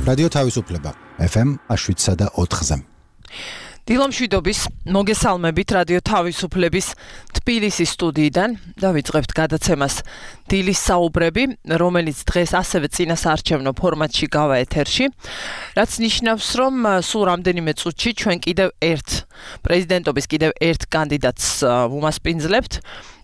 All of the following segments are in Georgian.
რადიო თავისუფლება FM 7.4-ზე. დილომშვიდობის მოგესალმებით რადიო თავისუფლების თბილისის სტუდიიდან და ვიწყებთ გადაცემას დილის საუბრები, რომელიც დღეს ასევე წინასაარჩევნო ფორმატში გავა ეთერში, რაც ნიშნავს, რომ სულ რამდენიმე წუთში ჩვენ კიდევ პრეზიდენტობის კიდევ ერთ კანდიდატს ვუმასპინძლებთ.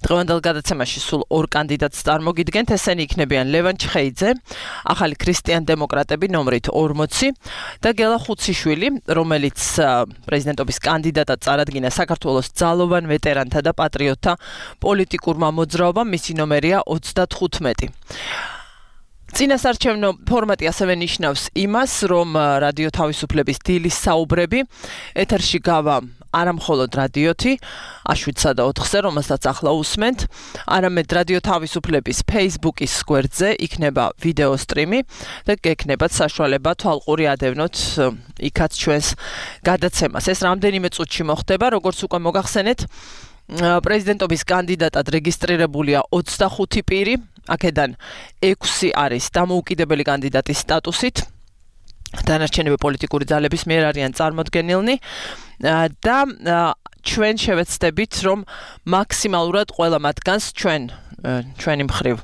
დღევანდელ გადაცემაში სულ ორ კანდიდატს წარმოგიდგენთ, ესენი იქნებიან ლევან ჩხეიძე, ახალი ქრისტიან-დემოკრატები ნომრით 40 და გელა ხუციშვილი, რომელიც პრეზიდენტობის კანდიდატად წარადგინა საქართველოს ძალოვან ვეტერანთა და პატრიოტთა პოლიტიკურმა მოძრაობამ, მისი ნომერია 35. წინასაარჩევნო ფორმატი ასევე ნიშნავს იმას, რომ რადიო თავისუფლების დილის საუბრები ეთერში გავა არა მხოლოდ რადიოთი 7.4-ზე, რომელსაც ახლა უსმენთ, არამედ რადიო თავისუფლების Facebook-ის გვერდზე იქნება ვიდეო სტრიმი და გექნებათ საშუალება თვალყური ადევნოთ იქაც ჩვენს გადაცემას. ეს რამდენიმე წუთში მოხდება, როგორც უკვე მოგახსენეთ, პრეზიდენტობის კანდიდატად რეგისტრირებულია 25 პირი, აქედან 6 არის დამოუკიდებელი კანდიდატის სტატუსით. დანარჩენები პოლიტიკური ძალების მიერ არიან წარმოდგენილნი და ჩვენ შევეცდებით, რომ მაქსიმალურად ყველა მათგანს ჩვენი მხრივ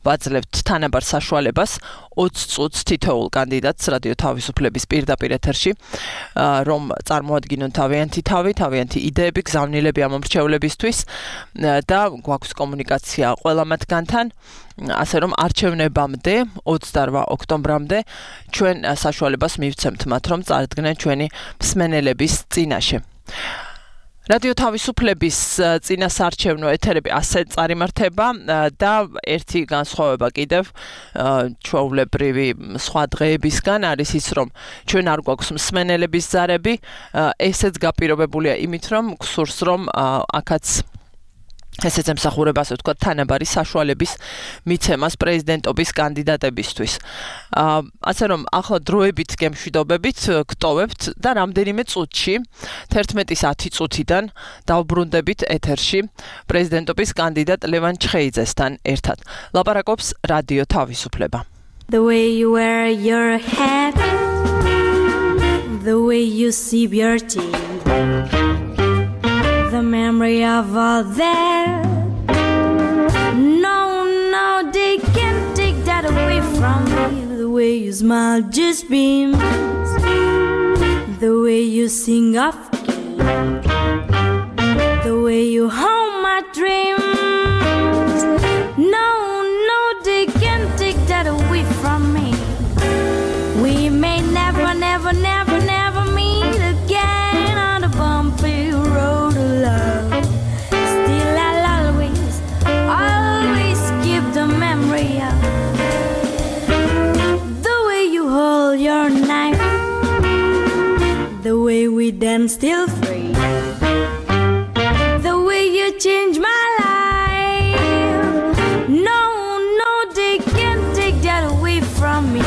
ვაძლევთ თანაბარ საშუალებას 20 წუთს თითოეულ კანდიდატს რადიო თავისუფლების პირდაპირ ეთერში, რომ წარმოადგინონ თავიანთი იდეები, გზავნილები ამ მომრჩევლებისთვის და გვაქვს კომუნიკაცია ყველა მათგანთან. ასე რომ არჩევნებამდე 28 ოქტომბრამდე ჩვენ საშუალებას მივცემთ მათ, რომ წარდგნენ ჩვენი მსმენელების წინაშე. რადიო თავისუფლების წინასაარჩევნო ეთერები ასე წარიმართება და ერთი განსხვავება კიდევ ჩვეულებრივი სხვა დღეებისგან არის ის, რომ ჩვენ არ გვაქვს მსმენელების ზარები, ესეც გაპირობებულია იმით, რომ გსურს, რომ აქაც ესეც ემსახურება, ასე ვთქვათ, თანაბარი საშუალების მიცემას პრეზიდენტობის კანდიდატებისთვის. ასე რომ ახლა დროებით გემშვიდობებით გტოვებთ და რამდენიმე წუთში 11:10 წუთიდან დავბრუნდებით ეთერში პრეზიდენტობის კანდიდატ ლევან ჩხეიძესთან ერთად. ლაპარაკობს რადიო თავისუფლება. The way you wear your hat, the way you sip your tea, the memory of all that, no, they can't take that away from me. The way you smile just beams, the way you sing off key, the way you hold my dreams, no, they can't take that away from me. We may never meet again on the bumpy road of love. Still I'll always keep the memory of the way you hold your knife, the way we dance still free, the way you change my life. No, they can't take that away from me.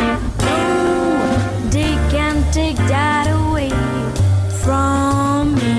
They can't take that away from me.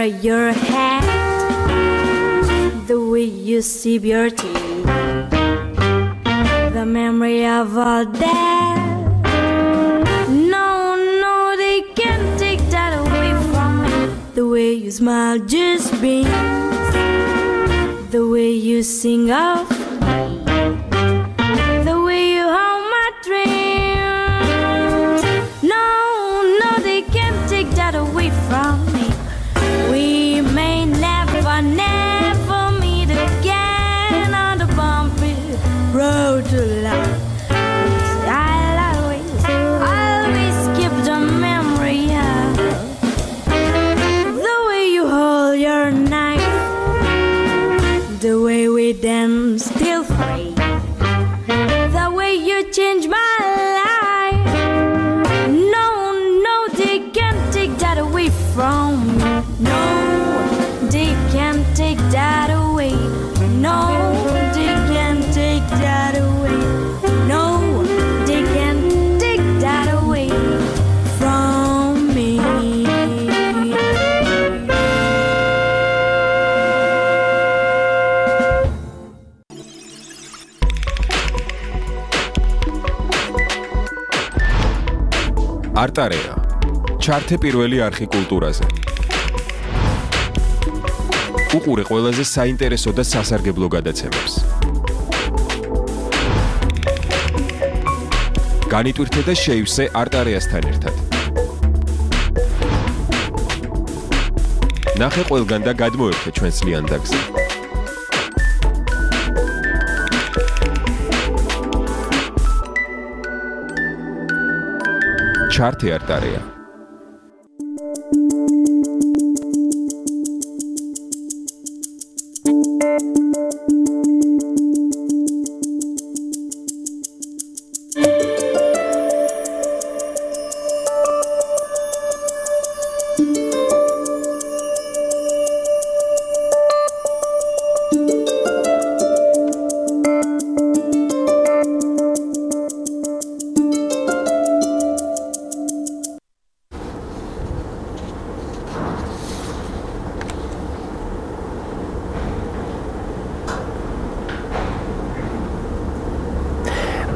wear your hat, the way you sip your tea, the memory of all that. No, they can't take that away from me. The way you smile just beams, the way you sing of me, the way you hold my dreams. No, they can't take that away from me. We may never meet again on the bumpy road to life. I'll always keep the memory of the way you hold your knife, the way we dance till free, the way you change my life. No, they can't take that away from me. No, they can't take that away. No, they can't take that away. No, they can't take that away from me. არტარეა ჩართე პირველი არხი კულტურაზე. უყურე ყველაზე საინტერესო და სასარგებლო გადაცემებს. განიტვირთე და შეივსე არტარეასთან ერთად. ნახე ყველგან და გადმოერთე ჩვენს ლიანდაგზე. ჩართე არტარეა.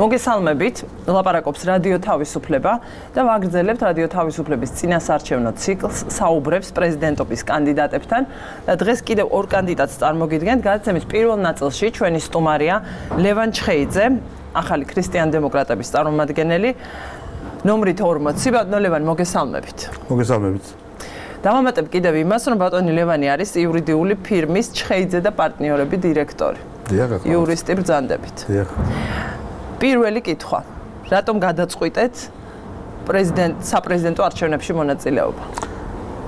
მოგესალმებით, ლაპარაკობს რადიო თავისუფლება და ვაგრძელებთ რადიო თავისუფლების წინასარჩევნო ციკლს საუბრებს პრეზიდენტობის კანდიდატებთან და დღეს კიდევ ორ კანდიდატს წარმოგიდგენთ. გადაცემის პირველ ნაწილში ჩვენი სტუმარია ლევან ჩხეიძე, ახალი ქრისტიან-დემოკრატების წარმომადგენელი, ნომრით 40. ბატონო ლევან, მოგესალმებით. მოგესალმებით. დავამატებ კიდევ იმას, რომ ბატონი ლევანი არის იურიდიული ფირმის ჩხეიძე და პარტნიორები დირექტორი. იურისტი ბრძანდებით. პირველი კითხვა. რატომ გადაწყვიტეთ საპრეზიდენტო არჩევნებში მონაწილეობა?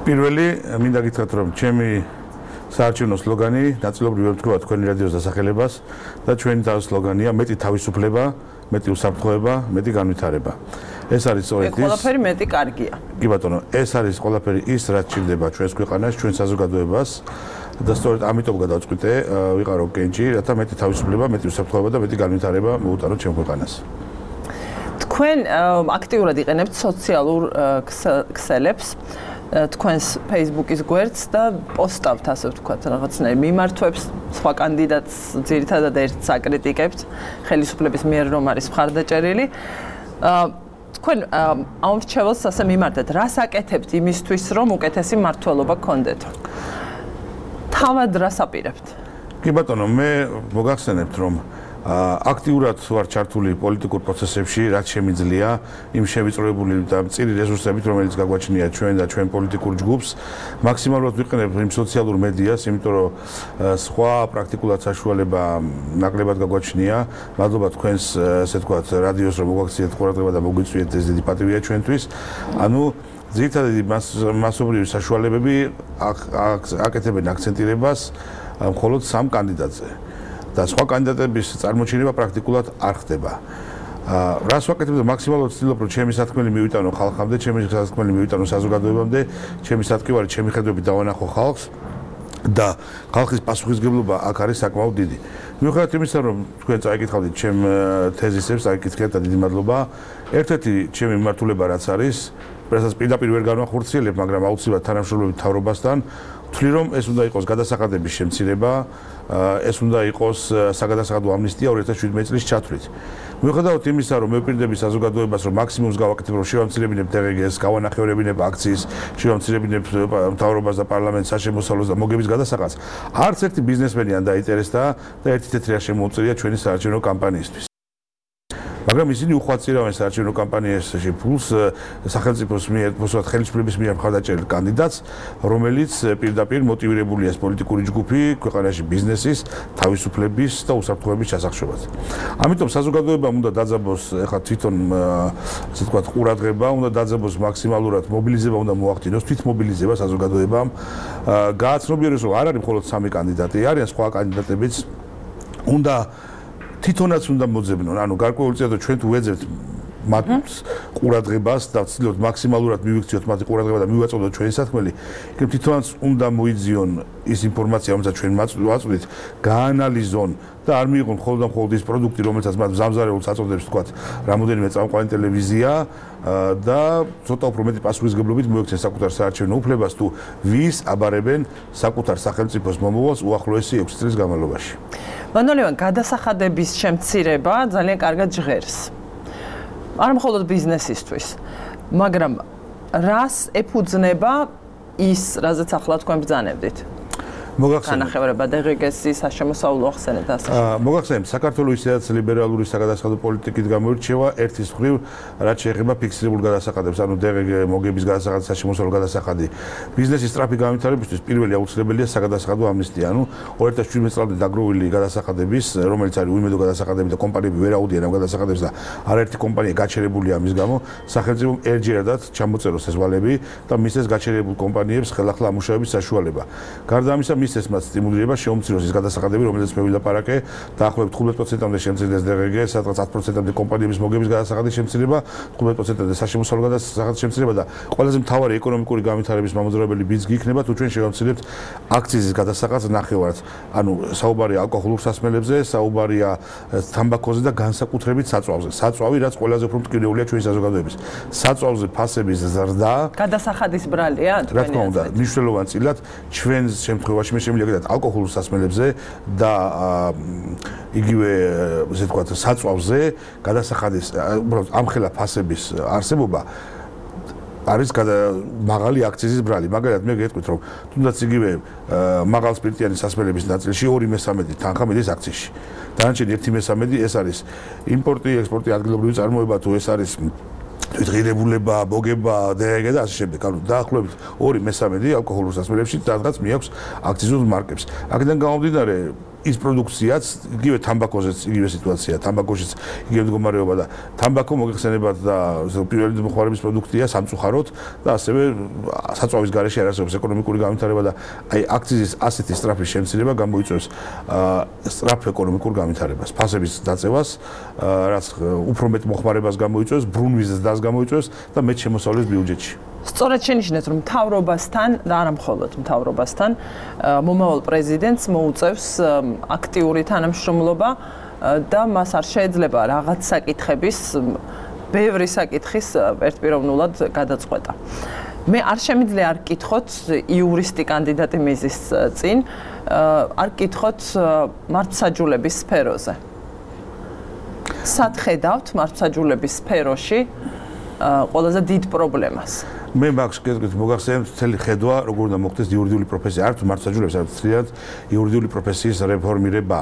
პირველი, მინდა გითხრათ, რომ ჩემი საარჩევნო სლოგანი ნაწილობრივ ვთქვა თქვენი რადიოს დასახელებას და ჩვენი სლოგანია მეტი თავისუფლება, მეტი უსაფრთხოება, მეტი განვითარება. ეს არის სწორედ ის. ყველაფერი მეტი კარგია. კი ბატონო, ეს არის ყველაფერი ის, რაც ჭირდება ჩვენს ქვეყანას, ჩვენ საზოგადოებას. და სწორედ ამიტომ გადავწყვიტე ვიყარო კენჭი, რათა მეტი თავისუფლება, მეტი უსაფრთხოება და მეტი განვითარება მოუტანოთ ჩემ ქვეყანას. თქვენ აქტიურად იყენებთ სოციალურ ქსელებს, თქვენს Facebook-ის გვერდს და პოსტავთ, ასე ვთქვათ, რაღაცნაირ მიმართვებს, სხვა კანდიდატს ძირითადად ერთს აკრიტიკებთ, ხელისუფლების მიერ რომ არის მხარდაჭერილი. თქვენ ამ რჩეველს ასე მიმართეთ, რას აკეთებთ იმისთვის, რომ უკეთესი მმართველობა გქონდეთ? თავად რას აპირებთ? კი ბატონო, მე მოგახსენებთ, რომ აქტიურად ვარ ჩართული პოლიტიკურ პროცესებში, რაც შემიძლია, იმ შევიწროებული და მწირი რესურსებით, რომელიც გაგვაჩნია ჩვენ და ჩვენ პოლიტიკურ ჯგუფს, მაქსიმალურად ვიყენებ იმ სოციალურ მედიას, იმიტომ რომ სხვა პრაქტიკულად საშუალება ნაკლებად გაგვაჩნია. მადლობა თქვენს, ასე ვთქვათ, რადიოს, რომ მოგაქციეთ ყურადღება და მოგვიწვიეთ, ეს დიდი პატივია ჩვენთვის. ანუ ძირითადად მასობრივი საშუალებები აკეთებენ აქცენტირებას მხოლოდ სამ კანდიდატზე და სხვა კანდიდატების წარმოჩენება პრაქტიკულად არ ხდება. რას ვაკეთებ და მაქსიმალურად ვცდილობ, რომ ჩემი სათქმელი მივიტანო ხალხამდე, ჩემი სათქმელი მივიტანო საზოგადოებამდე, ჩემი სათქმელი, ჩემი ხედვები დავანახო ხალხს და ხალხის პასუხისგებლობა აქ არის საკმაოდ დიდი. მიუხედავად იმისა, რომ თქვენ წაიკითხავთ ჩემ თეზისებს, წაიკითხეთ და დიდი მადლობა. ერთ-ერთი ჩემი მიმართულება რაც არის, რასაც პირდაპირ ვერ განვახორციელებ, მაგრამ აუცილებლად თანამშრომლობით მთავრობასთან ვთვლი, რომ ეს უნდა იყოს გადასახადების შემცირება, ეს უნდა იყოს საგადასახადო ამნისტია 2017 წლის ჩათვლით. მიუხედავად იმისა, რომ მევპირდები საზოგადოებას, რომ მაქსიმუმს გავაკეთებ, რომ შევამცირებინებ DRG-ს, გავანახევრებინებ აქციის, შევამცირებინებ მთავრობას და პარლამენტს საშემოსავლოს და მოგების გადასახადს, არც ერთი ბიზნესმენი არ დაინტერესდა და ერთი თეთრია შემოუწია ჩვენი საარჩევნო კამპანიისთვის. მაგრამ ისინი უხვაწირავენ საარჩევნო კამპანიაში ფულს სახელმწიფოს მიერ, ხელისუფლების მიერ მხარდაჭერილ კანდიდატს, რომელიც პირდაპირ მოტივირებულია პოლიტიკური ჯგუფი ქვეყანაში ბიზნესის, თავისუფლების და უსაფრთხოების ჩასახშობად. ამიტომ საზოგადოებამ უნდა დაძაბოს ეხლა თვითონ ასე ვთქვათ ყურადღება, უნდა დაძაბოს მაქსიმალურად მობილიზება უნდა მოახდინოს, თვითმობილიზება საზოგადოებამ. გააცნობიეროს, რომ არ არის მხოლოდ 3 კანდიდატი, არიან სხვა კანდიდატებიც. უნდა თვითონაც უნდა მოძებნონ, ანუ გარკვეული წესით ჩვენ თუ ვეძებთ მათ ყურადღებას და ვცდილობთ მაქსიმალურად მივიქციოთ მათი ყურადღება და მივაწოდოთ ჩვენი საქმელი, იქნებ თვითონაც უნდა მოიძიონ ის ინფორმაცია, რომელსაც ჩვენ ვაწვდით, გაანალიზონ და არ მიიღონ მხოლოდ და მხოლოდ ის პროდუქტი, რომელსაც მათ მზამზარეულს აწოდებს, თქვათ, რამოდენიმე წამყვანი ტელევიზია და ცოტა უფრო მეტი პასუხისმგებლობით მოექცენ საკუთარ საარჩევნო უფლებას თუ ვის აბარებენ საკუთარ სახელმწიფოს მომავალს უახლოესი 6 წლის განმავლობაში. მანოლევან გადასახადების შემცირება ძალიან კარგად ჟღერს. არ მხოლოდ ბიზნესისთვის, მაგრამ რას ეფუძნება ის, რაზეც ახლა თქვენ ბრძანებდით? განახევრება DRG-ს საშემოსავლო ახსენეთ ასე. მოგახსენებთ, საქართველოს ისედაც ლიბერალური საგადასახადო პოლიტიკით გამოირჩევა ერთის მხრივ, რაც შეეხება ფიქსირებულ გადასახადებს, ანუ DRG მოგების გადასახადი, საშემოსავლო გადასახადი. ბიზნესის სწრაფი განვითარებისთვის პირველი აუცილებელია საგადასახადო ამნისტია, ანუ 2017 წლამდე დაგროვილი გადასახადების, რომელიც არის უიმედო გადასახადები და კომპანიები ვერ აუდიან ამ გადასახადებს და არაერთი კომპანია გაჩერებულია ამის გამო, სახელმწიფომ ერთჯერადად ჩამოწეროს ეს ვალები და მისცეს გაჩერებულ კომპანიებს ხელახლა ამუშავების საშუალება. გარდა ამისა, მისცეს მათ სტიმულირება შეუმციროს ის გადასახადები, რომელზეც მე ვილაპარაკე, დაახლოებით 15%-მდე შემცირდეს DRG, სადღაც 10%-მდე კომპანიების მოგების გადასახადის შემცირება, 15%-მდე საშემოსავლო გადასახადის შემცირება და ყველაზე მთავარი ეკონომიკური განვითარების მამოძრავებელი ბიძგი იქნება, თუ ჩვენ შევამცირებთ აქციზის გადასახადს ნახევარად. ანუ საუბარია ალკოჰოლურ სასმელებზე, საუბარია თამბაქოზე და განსაკუთრებით საწვავზე. საწვავი, რაც ყველაზე უფრო მტკივნეულია ჩვენი საზოგადოების. საწვავზე ფასების ზრდა გადასახადის ბრალია თქვენი. რა თქმა უნდა, მნიშვნელოვან წილად ჩვენ შემთხვევაში შემიძლია გადათ ალკოჰოლურ სასმელებზე და იგივე ესე ვთქვათ საწვავზე გადასახადის უბრალოდ ამხელა ფასების არსებობა არის მაღალი აქციზის ბრალი. მაგალითად მე გეტყვით, რომ თუნდაც იგივე მაღალსპირტიანი სასმელების ნაწილში 2/3 თანხა მიდის აქციზში. დანარჩენი 1/3 ეს არის იმპორტი, ექსპორტი, ადგილობრივი წარმოება, თუ ეს არის თვითღირებულება, მოგება, DRG და ასე შემდეგ. ანუ დაახლოებით 2/3 ალკოჰოლურ სასმელებში სადღაც მიაქვს აქციზულ მარკებს. აქედან გამომდინარე ის პროდუქციაც, იგივე თამბაქოზეც იგივე სიტუაცია, თამბაქოშიც იგივე მდგომარეობა და თამბაქო მოგეხსენებათ და პირველი მოხმარების პროდუქტია სამწუხაროდ და ასევე საწვავის გარეშე არ არსებობს ეკონომიკური განვითარება და აი აქციზის ასეთი სწრაფი შემცირება გამოიწვევს სწრაფ ეკონომიკურ განვითარებას, ფასების დაწევას, რაც უფრო მეტ მოხმარებას გამოიწვევს, ბრუნვიზის დას გამოიწვევს და მეტ შემოსავლეს ბიუჯეტში. სწორედ შენიშნეთ, რომ მთავრობასთან და არა მხოლოდ მთავრობასთან მომავალ პრეზიდენტს მოუწევს აქტიური თანამშრომლობა და მას არ შეიძლება რაღაც საკითხების, ბევრი საკითხის ერთპიროვნულად გადაწყვეტა. მე არ შემიძლია არ გკითხოთ იურისტი კანდიდატი მიზის წინ, არ გკითხოთ მართლმსაჯულების სფეროზე. სად ხედავთ მართლმსაჯულების სფეროში ყველაზე დიდ პრობლემას? მე მაგს მოგახსენებთ მთელი ხედვა, როგორ უნდა მოხდეს იურიდიული პროფესია, არ თუ მართლმსაჯულებს, არც თრიად იურიდიული პროფესიის რეფორმირება.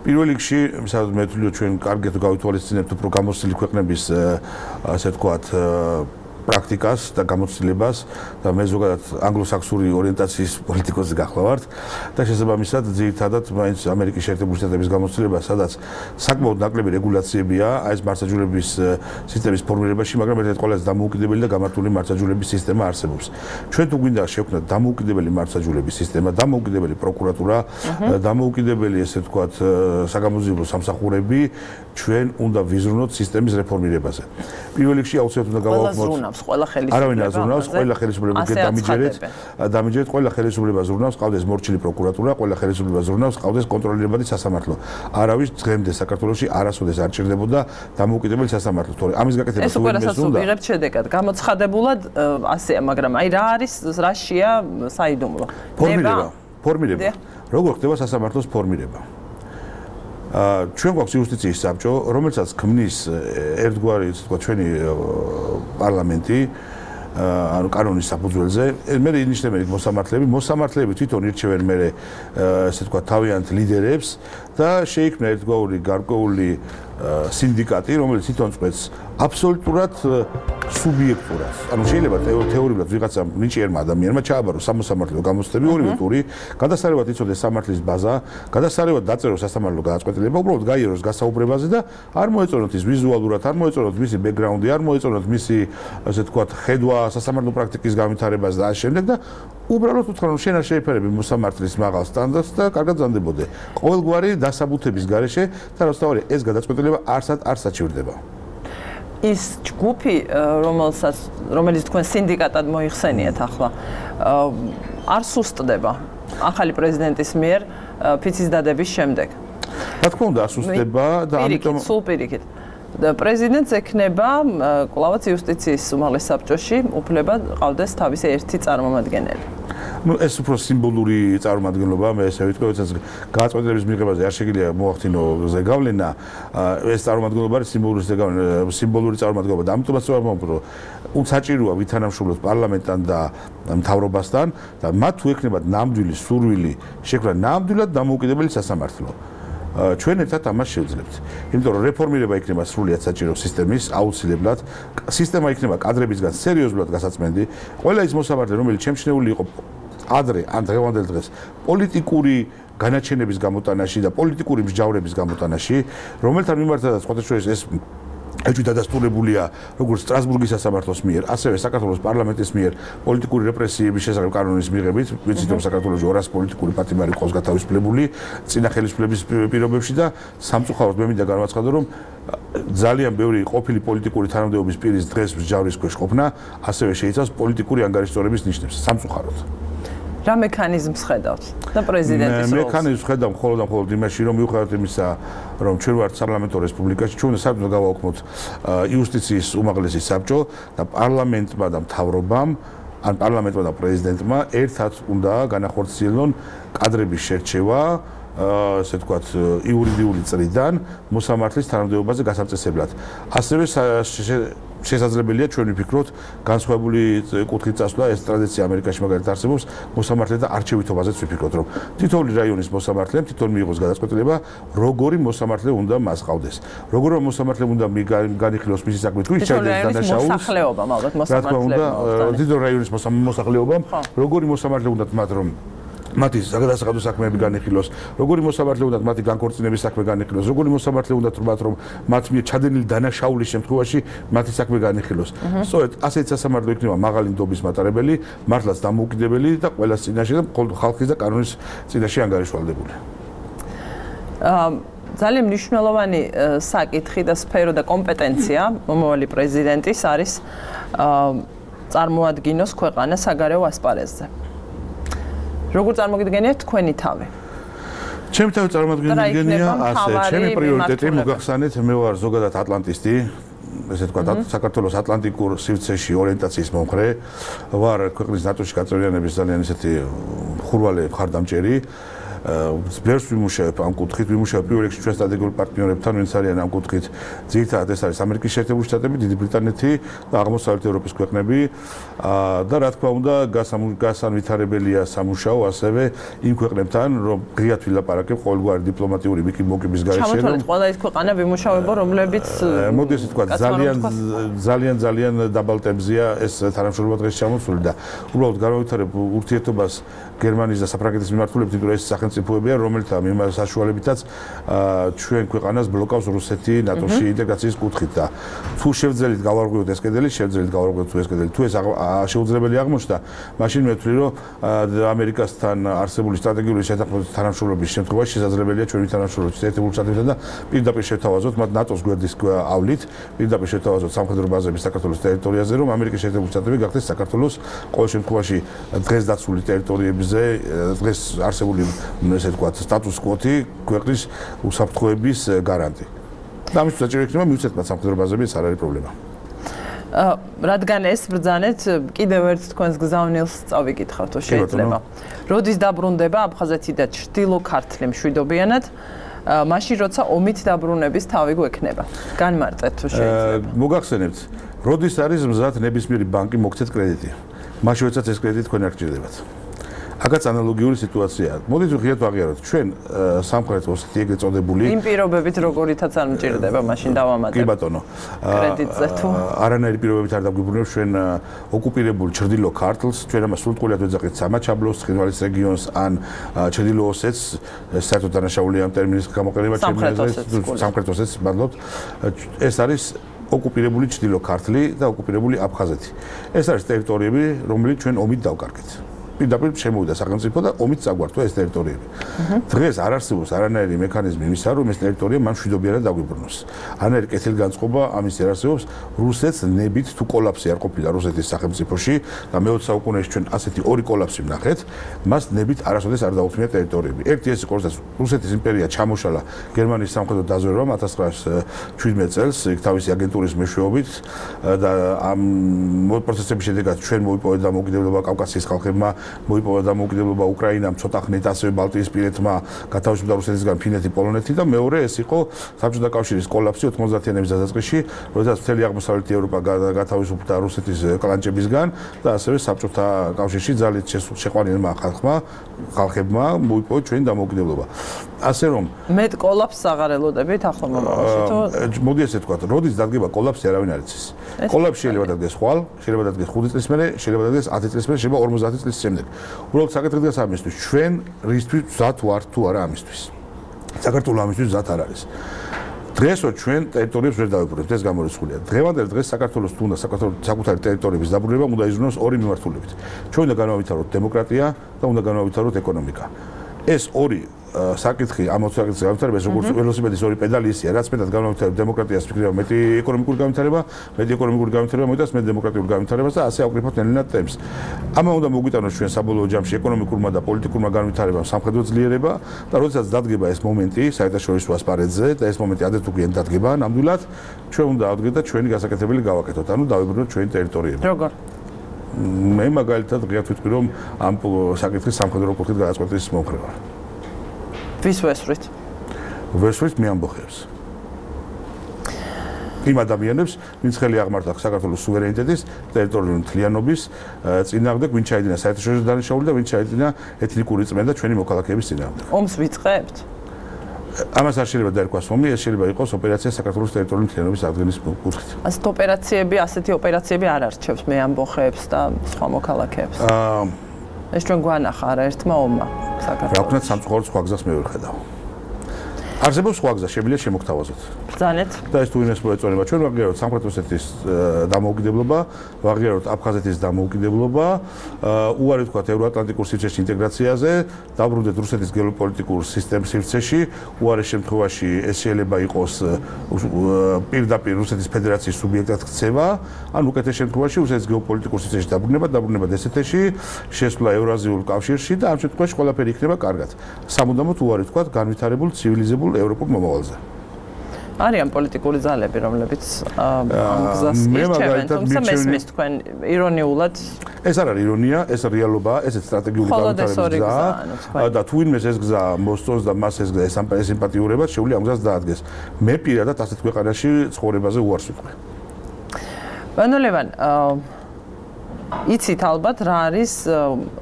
პირველ რიგში, სადაც მე ვთვლი, ჩვენ კარგად გავითვალისწინებთ უფრო გამოცდილი ქვეყნების, ასე ვთქვათ, პრაქტიკას და გამოცდილებას და მე ზოგადად ანგლოსაქსონური ორიენტაციის პოლიტიკოსი გახლავართ და შესაბამისად ძირითადად მაინც ამერიკის შეერთებული შტატების გამოცდილება, სადაც საკმაოდ ნაკლები რეგულაციებია აი ეს მართლმსაჯულების სისტემის ფორმირებაში, მაგრამ ერთ-ერთი ყველაზე დამოუკიდებელი და გამართული მართლმსაჯულების სისტემა არსებობს. ჩვენ თუ გვინდა შევქმნათ დამოუკიდებელი მართლმსაჯულების სისტემა, დამოუკიდებელი პროკურატურა, დამოუკიდებელი ესე ვთქვათ საგამოძიებო სამსახურები, ჩვენ უნდა ვიზრუნოთ სისტემის რეფორმირებაზე. პირველ რიგში აუცილებლად უნდა გავაუქმოთ აზროვნავს ყველა ხელისუფლება. არავინ აზროვნავს, ყველა ხელისუფლება დამიჯერეთ, ყველა ხელისუფლება აზროვნავს, ყავდეს მორჩილი პროკურატურა, ყველა ხელისუფლება აზროვნავს, ყავდეს კონტროლირებადი სასამართლო. არავის დღემდე საქართველოში არასოდეს არ ჭირდებოდა დამოუკიდებელი სასამართლო. თორე ამის გაკეთება თუ ვიღასაც ვიღებთ შედეგად, გამოცხადებულად ასეა, მაგრამ აი რა არის, რაშია საიდუმლო? ფორმირება. როგორ ხდება სასამართლოს ფორმირება? ჩვენ გვაქვს იუსტიციის საბჭო, რომელსაც ქმნის ერთგვარი, თქვა, ჩვენი პარლამენტი, ანუ კანონის საფუძველზე. მე ინიშნებენ მოსამართლეები თვითონ ირჩევენ მე ესე თქვა თავიანთ ლიდერებს და შეიქმნა ერთგვარი გარკვეული სინდიკატი, რომელიც თვითონ წყვეტს აბსოლუტურად სუბიექტურად. ანუ შეიძლება თეორიულად ვიღაცამ ნიჭიერმა ადამიანმა ჩააბაროს სამოსამართლეო გამოცდები ორივე ტური, გადასარევად იცოდეს სამართლის ბაზა, გადასარევად დაწეროს სასამართლო გადაწყვეტილება, უბრალოდ გაიაროს გასაუბრებაზე და არ მოეწონოთ ის ვიზუალურად, არ მოეწონოთ მისი ბექგრაუნდი, არ მოეწონოთ მისი ასე თქვა ხედვა სასამართლო პრაქტიკის განვითარებაზე და ამ შემდეგ და უბრალოდ უთხრა რომ შენ არ შეიფერები მოსამართლის მაღალ სტანდარტს და კარგად ზანდებოდე. ყოველგვარი დასაბუთების გარეშე და რასთავარი ეს გადაწყვეტილება არ საჩივრდება. ის ჯგუფი, რომელიც თქვენ სინდიკატად მოიხსენიეთ ახლა, არ სუსტდება ახალი პრეზიდენტის მიერ ფიცის დადების შემდეგ. რა თქმა უნდა, ასუსტდება და ამიტომ სულ პირიქით. პრეზიდენტს ექნება კვლავაც იუსტიციის უმაღლეს საბჭოში უფლება ყავდეს თავისი ერთი წარმომადგენელი. ეს უფრო სიმბოლური წარმომადგენლობაა, მე ესე ვიტყვი, როდესაც გადაწყვეტილების მიღებაზე არ შეგიძლია მოახდინო ზეგავლენა, ეს წარმომადგენლობა არის სიმბოლური წარმომადგენლობა და ამიტომაც რომ საჭიროა ვითანამშრომლოთ პარლამენტთან და მთავრობასთან და მათ თუ ექნებათ ნამდვილი სურვილი შექმნა ნამდვილად დამოუკიდებელი სასამართლო. ჩვენ ერთად ამას შევძლებთ. იმიტომ რომ რეფორმირება იქნება სრულიად საჭირო სისტემის, აუცილებლად. სისტემა იქნება კადრებისგან სერიოზულად გასაწმენდი. ყველა ის მოსამართლე, რომელიც შემჩნეული იყო ადრე ან დღევანდელ დღეს პოლიტიკური განაჩენების გამოტანაში და პოლიტიკური მსჯავრების გამოტანაში, რომელთან მიმართადაც სხვადასხვა ეს ეჭვი დადასტურებულია როგორც სტრასბურგის სასამართლოს მიერ, ასევე საქართველოს პარლამენტის მიერ პოლიტიკური რეპრესიების შესახებ კანონის მიღებით, ვიცით რომ საქართველოში 200 პოლიტიკური პატიმარი ყავს გათავისუფლებული წინა ხელისუფლების პირობებში და სამწუხაროდ მე მინდა განვაცხადო რომ ძალიან ბევრი ყოფილი პოლიტიკური თანამდებობის პირის დღეს მსჯავრის ქვეშ ყოფნა, ასევე შეიცავს პოლიტიკური ანგარიშწორების ნიშნებს, სამწუხაროდ. რა მექანიზმს ხედავთ და პრეზიდენტის როლს? მექანიზმს ხედავ მხოლოდ იმაში, რომ მიუხედავად იმისა, რომ ჩვენ ვართ საპარლამენტო რესპუბლიკაში, ჩვენ საერთოდ გავაუქმოთ იუსტიციის უმაღლესი საბჭო და პარლამენტმა და მთავრობამ, ან პარლამენტმა და პრეზიდენტმა ერთად უნდა განახორციელონ კადრების შერჩევა, ასე ვთქვათ, იურიდიული წრიდან მოსამართლის თანამდებობაზე გასაწესებლად. ასევე შესაძლებელია ჩვენ ვფიქროთ განსხვავებული კუთხით წასვლა, ეს ტრადიცია ამერიკაში მაგალითად არსებობს, მოსამართლეთა არჩევითობაზეც ვფიქროთ, რომ თითოეული რაიონის მოსამართლემ თვითონ მიიღოს გადაწყვეტილება, როგორი მოსამართლე უნდა მას ყავდეს. როგორი მოსამართლე უნდა განიხილოს მისი საქმე, თუ ის ჩაიდეს დანაშაულს. მოსახლეობამ ალბათ მოსამართლეებმა. თითოეული რაიონის მოსახლეობამ, როგორი მოსამართლე უნდა მათ რომ მათი საგადასახადო საქმეები განიხილოს, როგორი მოსამართლე უნდა მათი განქორწინების საქმე განიხილოს, როგორი მოსამართლე უნდა თუმად რომ მათ მიერ ჩადენილი დანაშაულის შემთხვევაში მათი საქმე განიხილოს. სწორედ ასეთი სასამართლო იქნება მაღალი ნდობის მატარებელი, მართლაც დამოუკიდებელი და ყველა წინაშე და ხალხის და კანონის წინაშე ანგარიშვალდებული. ძალიან მნიშვნელოვანი საკითხი და სფერო და კომპეტენცია მომავალი პრეზიდენტის არის წარმოადგინოს ქვეყანა საგარეო ასპარეზზე. როგორ წარმოგიდგენიათ თქვენი თავი? ჩემი თავი წარმოგიდგენია ასე, ჩემი პრიორიტეტი მოგახსენეთ, მე ვარ ზოგადად ატლანტისტი, ესე ვთქვათ, საქართველოს ატლანტიკურ სივრცეში ორიენტაციის მომხრე, ვარ ქვეყნის ნატოში გაწევრიანების ძალიან ისეთი ხურვალე მხარდამჭერი. ბევრს ვიმუშავებ ამ კუთხით, ვიმუშავებ პირველ რიგში ჩვენ სტრატეგიულ პარტნიორებთან, ვინც არიან ამ კუთხით. ძირითადად ეს არის ამერიკის შეერთებული შტატები, დიდი ბრიტანეთი და აღმოსავლეთ ევროპის ქვეყნები. და რა თქმა უნდა, გასანვითარებელია სამუშაო ასევე იმ ქვეყნებთან, რომ ღიად ვილაპარაკებ ყოველგვარი დიპლომატიური მოკების გარეშე. ჩამოთვალეთ ყველა ის ქვეყანა ვიმუშავებო, რომლებიც მოდი ესე ვთქვათ, ძალიან დაბალ ტემპზეა ეს თანამშრომლობა დღეს ჩამოსული და უბრალოდ განავითარებ ურთიერთობას გერმანიის და საფრანგეთის მიმართულებით, იმიტომ რომ ეს სახელმწიფო სახელმწიფოებია, რომელთა მიმართ საშუალებითაც ჩვენ ქვეყანას ბლოკავს რუსეთი ნატოში ინტეგრაციის კუთხით და თუ შევძელით გავარღვიოთ ეს კედელი, შევძელით გავარღვიოთ ეს კედელი. თუ ეს შეუძლებელი აღმოჩნდა, მაშინ მე ვთვლი, რომ ამერიკასთან არსებული სტრატეგიული შეთანხმების თანამშრომლობის შემთხვევაში შესაძლებელია ჩვენი თანამშრომლობის ერთეულ წადებიდან და პირდაპირ შევთავაზოთ მათ ნატოს გვერდის ავლით, პირდაპირ შევთავაზოთ სამხედრო ბაზები საქართველოს ტერიტორიაზე, რომ ამერიკის შეერთებული შტატები გახდეს საქართველოს ყოველ შემთხვევაში დღეს დაცული ტერიტორიებზე, დღეს არსებული ესე ვთქვათ სტატუს კვოთი ქვეყნის უსაფრთხოების გარანტი. და ამისთვის საჭირო იქნება მივცეთ მათ სამხედრო ბაზები, ეს არ არის პრობლემა. რადგან ეს ბრძანეთ, კიდევ ერთ თქვენს გზავნილს წავიკითხავ თუ შეიძლება. როდის დაბრუნდება აფხაზეთი და ჩრდილო ქართლი მშვიდობიანად? მაშინ როცა ომით დაბრუნების თავი გვექნება. განმარტეთ თუ შეიძლება. მოგახსენებთ, როდის არის მზად ნებისმიერი ბანკი მოგცეთ კრედიტი. მაშინ როდესაც ეს კრედიტი თქვენ არ გჭირდებათ. აქაც ანალოგიური სიტუაციაა. მოდით ვღიაროთ ვაღიაროთ. ჩვენ სამხრეთ ოსეთი ეგრეთ წოდებული იმ პირობებით როგორითაც არ მჭირდება, მაშინ დავამატებ. კი ბატონო. კრედიტზე თუ არანაირი პირობებით არ დაგვიბრუნებს ჩვენ ოკუპირებულ ჩრდილო ქართლს, ჩვენ ამას სრულყურად ვეძახით სამაჩაბლოს, ცხინვალის რეგიონს ან ჩრდილო ოსეთს, საერთოდ დანაშაულია ამ ტერმინის გამოყენება სამხრეთ ოსეთს, მადლობთ. ეს არის ოკუპირებული ჩრდილო ქართლი და ოკუპირებული აფხაზეთი. ეს არის ტერიტორიები, რომელიც ჩვენ ომით დავკარგეთ. პირდაპირ შემოვიდა სახელმწიფო და ომით წაგვართვა ეს ტერიტორიები. დღეს არ არსებობს არანაირი მექანიზმი იმისა, რომ ეს ტერიტორია მან მშვიდობიანად დაგვიბრუნოს. არანაირი კეთილგანწყობა ამის არ არსებობს. რუსეთს ნებით თუ კოლაფსი არ ყოფილა რუსეთის სახელმწიფოში და მე-20 საუკუნეში ჩვენ ასეთი ორი კოლაფსი ვნახეთ, მას ნებით არასოდეს არ დაუქმია ტერიტორიები. ერთი ეს იყო, როდესაც რუსეთის იმპერია ჩამოშალა გერმანიის სამხედრო დაზვერვამ 1917 წელს იქ თავისი აგენტურის მეშვეობით და ამ პროცესების შედეგად ჩვენ მოიპოვეთ დამოუკიდებლობა კავკასიის ხალხებმა, მოიპოვა დამოუკიდებლობა უკრაინამ, ცოტა ხნით ასევე ბალტიისპირეთმა, გათავისუფლდა რუსეთისგან ფინეთი, პოლონეთი და მეორე ეს იყო საბჭოთა კავშირის კოლაფსი 90-იანების დასაწყისში, როდესაც მთელი აღმოსავლეთი ევროპა გათავისუფლდა რუსეთის კლანჭებისგან და ასევე საბჭოთა კავშირში ძალით შეყვანილმა ხალხებმა მოიპოვა ჩვენი დამოუკიდებლობა. ასე რომ მეტ კოლაფსს აღარ ელოდებით ახლა მომავალში თუ მოდი ესე ვთქვათ, როდის დადგება კოლაფსი არავინ არ იცის. კოლაფსი შეიძლება დადგეს ხვალ, შეიძლება დადგეს 5 წლის მერე, შეიძლება დადგეს 10 წლის მერე, შეიძლება 50 წლის შემდეგ. უბრალოდ საკითხი დგას ამისთვის, ჩვენ რისთვის მზად ვართ თუ არა ამისთვის. საქართველოს ამისთვის მზად არ არის. დღესო ჩვენ ტერიტორიებს ვერ დავიბრუნებთ, ეს გამორიცხულია. დღევანდელ დღეს საქართველოს თუ უნდა საკუთარი ტერიტორიების დაბრუნება უნდა იზრუნოს ორი მიმართულებით. ჩვენ უნდა განავითაროთ დემოკრატია და უნდა განავითაროთ ეკონომიკა. ეს ორი საკითხი ამოცაკითხი განვითარებას როგორც ველოსიპედის ორი პედალი ისია, რაც მეტად განვითარებ დემოკრატიას ფიქრია მეტი ეკონომიკური განვითარება, მეტი ეკონომიკური განვითარება მოიტანს მეტ დემოკრატიულ განვითარებას და ასე ავკრიფოთ ნელ-ნელა ტემპს. ამან უნდა მოგვიტანოს ჩვენ საბოლოო ჯამში ეკონომიკურმა და პოლიტიკურმა განვითარებამ სამხედრო ძლიერება და როდესაც დადგება ეს მომენტი საერთაშორისო ასპარეზზე და ეს მომენტი ადრე თუ გვიან დადგება, ნამდვილად ჩვენ უნდა ავდგეთ და ჩვენი გასაკეთებელი გავაკეთოთ, ანუ დავიბრუნოთ ჩვენი ტერიტორიები. როგორ? მე მაგალითად ღიად ვიტყვი რომ ამ საკითხის სამხედრო კუთხით გადაწყვეტის მომხრე ვარ. ვის ვესვრით? ვესვრით მე ამბოხებს. იმ ადამიანებს, ვინც ხელი აღმართა საქართველოს სუვერენიტეტის, ტერიტორიული მთლიანობის წინააღმდეგ, ვინც ჩაიდინა საერთაშორისო დანაშაული და ვინც ჩაიდინა ეთნიკური წმენდა ჩვენი მოქალაქეების წინააღმდეგ. ომს ვიწყებთ? ამას არ შეიძლება დაერქვას ომი, ეს შეიძლება იყოს ოპერაცია საქართველოს ტერიტორიული მთლიანობის აღდგენის კუთხით. ასეთი ოპერაციები არ არჩევს მე ამბოხებს და სხვა მოქალაქეებს. ეს ჩვენ გვანახა არა ერთმა ომმა საქართველოს. რა ვქნათ სამწუხაროდ სხვა გზას მე ვერ ხედავ. არსებობს სხვა გზა, შემიძლია შემოგთავაზოთ. ბრძანეთ. და ეს თუ იმას მოეწონება, ჩვენ ვაღიაროთ სამხრეთ ოსეთის დამოუკიდებლობა, ვაღიაროთ აფხაზეთის დამოუკიდებლობა, უარი ვთქვათ ევროატლანტიკურ სივრცეში ინტეგრაციაზე, დავბრუნდეთ რუსეთის გეოპოლიტიკურ სისტემის სივრცეში, უარეს შემთხვევაში ეს შეიძლება იყოს პირდაპირ რუსეთის ფედერაციის სუბიექტად ქცევა, ან უკეთეს შემთხვევაში რუსეთის გეოპოლიტიკურ სივრცეში დაბრუნება დსთ-ში, შესვლა ევრაზიულ კავშირში და ამ შემთხვევაში ყველაფერი იქნება კარგად. სამუდამოდ უარი ვთქვათ განვითარებულ ცივილიზებულ ევროპულ მომავალზე. არიან პოლიტიკური ძალები, რომლებიც ამ გზას ირჩევენ, თუმცა მესმის თქვენ ირონიულად. ეს არ არის ირონია, ეს რეალობაა, ესეც სტრატეგიული განვითარების გზაა და თუ ვინმეს ეს გზა მოსწონს და მას ეს გზა ესიმპათიურება, შეუძლია ამ გზას დაადგეს. მე პირადად ასეთ ქვეყანაში ცხოვრებაზე უარს ვიტყვი. ბანო ლევან, იცით ალბათ რა არის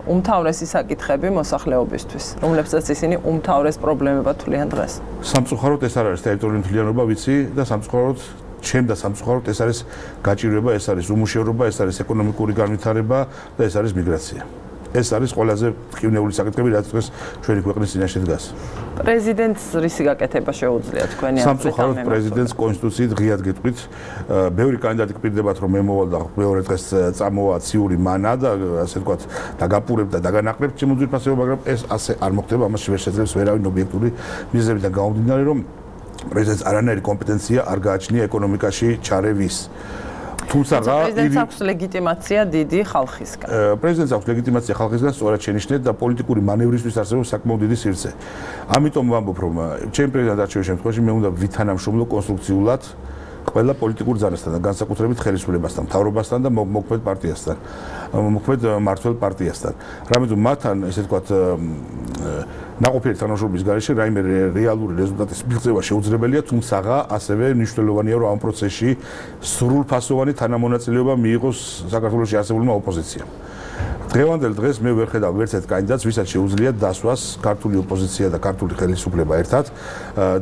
უმთავრესი საკითხები მოსახლეობისთვის, რომლებსაც ისინი უმთავრეს პრობლემებად თვლიან დღეს. სამწუხაროდ ეს არ არის ტერიტორიული მთლიანობა, ვიცი და სამწუხაროდ სამწუხაროდ ეს არის გაჭირვება, ეს არის უმუშევრობა, ეს არის ეკონომიკური განვითარება და ეს არის მიგრაცია. ეს არის ყველაზე ტკივნეული საკითხები, რაც დღეს ჩვენი ქვეყნის წინაშე დგას. პრეზიდენტს რისი გაკეთება შეუძლია თქვენი აზრით? სამწუხაროდ პრეზიდენტს კონსტიტუციით ღიად გეტყვით. ბევრი კანდიდატი გპირდებათ, რომ მემოვალ და მეორე დღეს წამოვა ციური მანა და ასე ვთქვათ, დაგაპურებ და დაგანაყრებ ჩემ უძვირფასეულს, მაგრამ ეს ასე არ მოხდება, ამაში ვერ შეძლებს ვერავინ ობიექტური მიზეზებიდან გამომდინარე, რომ პრეზიდენტს არანაირი კომპეტენცია არ გააჩნია ეკონომიკაში ჩარევის. თუმცა პრეზიდენტს აქვს ლეგიტიმაცია დიდი ხალხისგან. პრეზიდენტს აქვს ლეგიტიმაცია ხალხისგან, სწორად შენიშნეთ და პოლიტიკური მანევრისთვის არსებობს საკმაოდ დიდი სივრცე. ამიტომ ვამბობ, რომ ჩემ პრეზიდენტ არჩევის შემთხვევაში მე უნდა ვითანამშრომლო კონსტრუქციულად ყველა პოლიტიკურ ძალასთან და განსაკუთრებით ხელისუფლებასთან, მთავრობასთან და მოქმედ პარტიასთან, მოქმედ მმართველ პარტიასთან. რამეთუ მათთან, ესე ვთქვათ, ნაყოფიერი თანამშრომლობის გარეშე რაიმე რეალური რეზულტატის მიღწევა შეუძლებელია, თუმცა ასევე მნიშვნელოვანია, რომ ამ პროცესში სრულფასოვანი თანამონაწილეობა მიიღოს საქართველოში არსებულმა ოპოზიციამ. დღევანდელ დღეს მე ვერ ხედავ ვერც ერთ კანდიდატს, ვისაც შეუძლია დასვას ქართული ოპოზიცია და ქართული ხელისუფლება ერთად,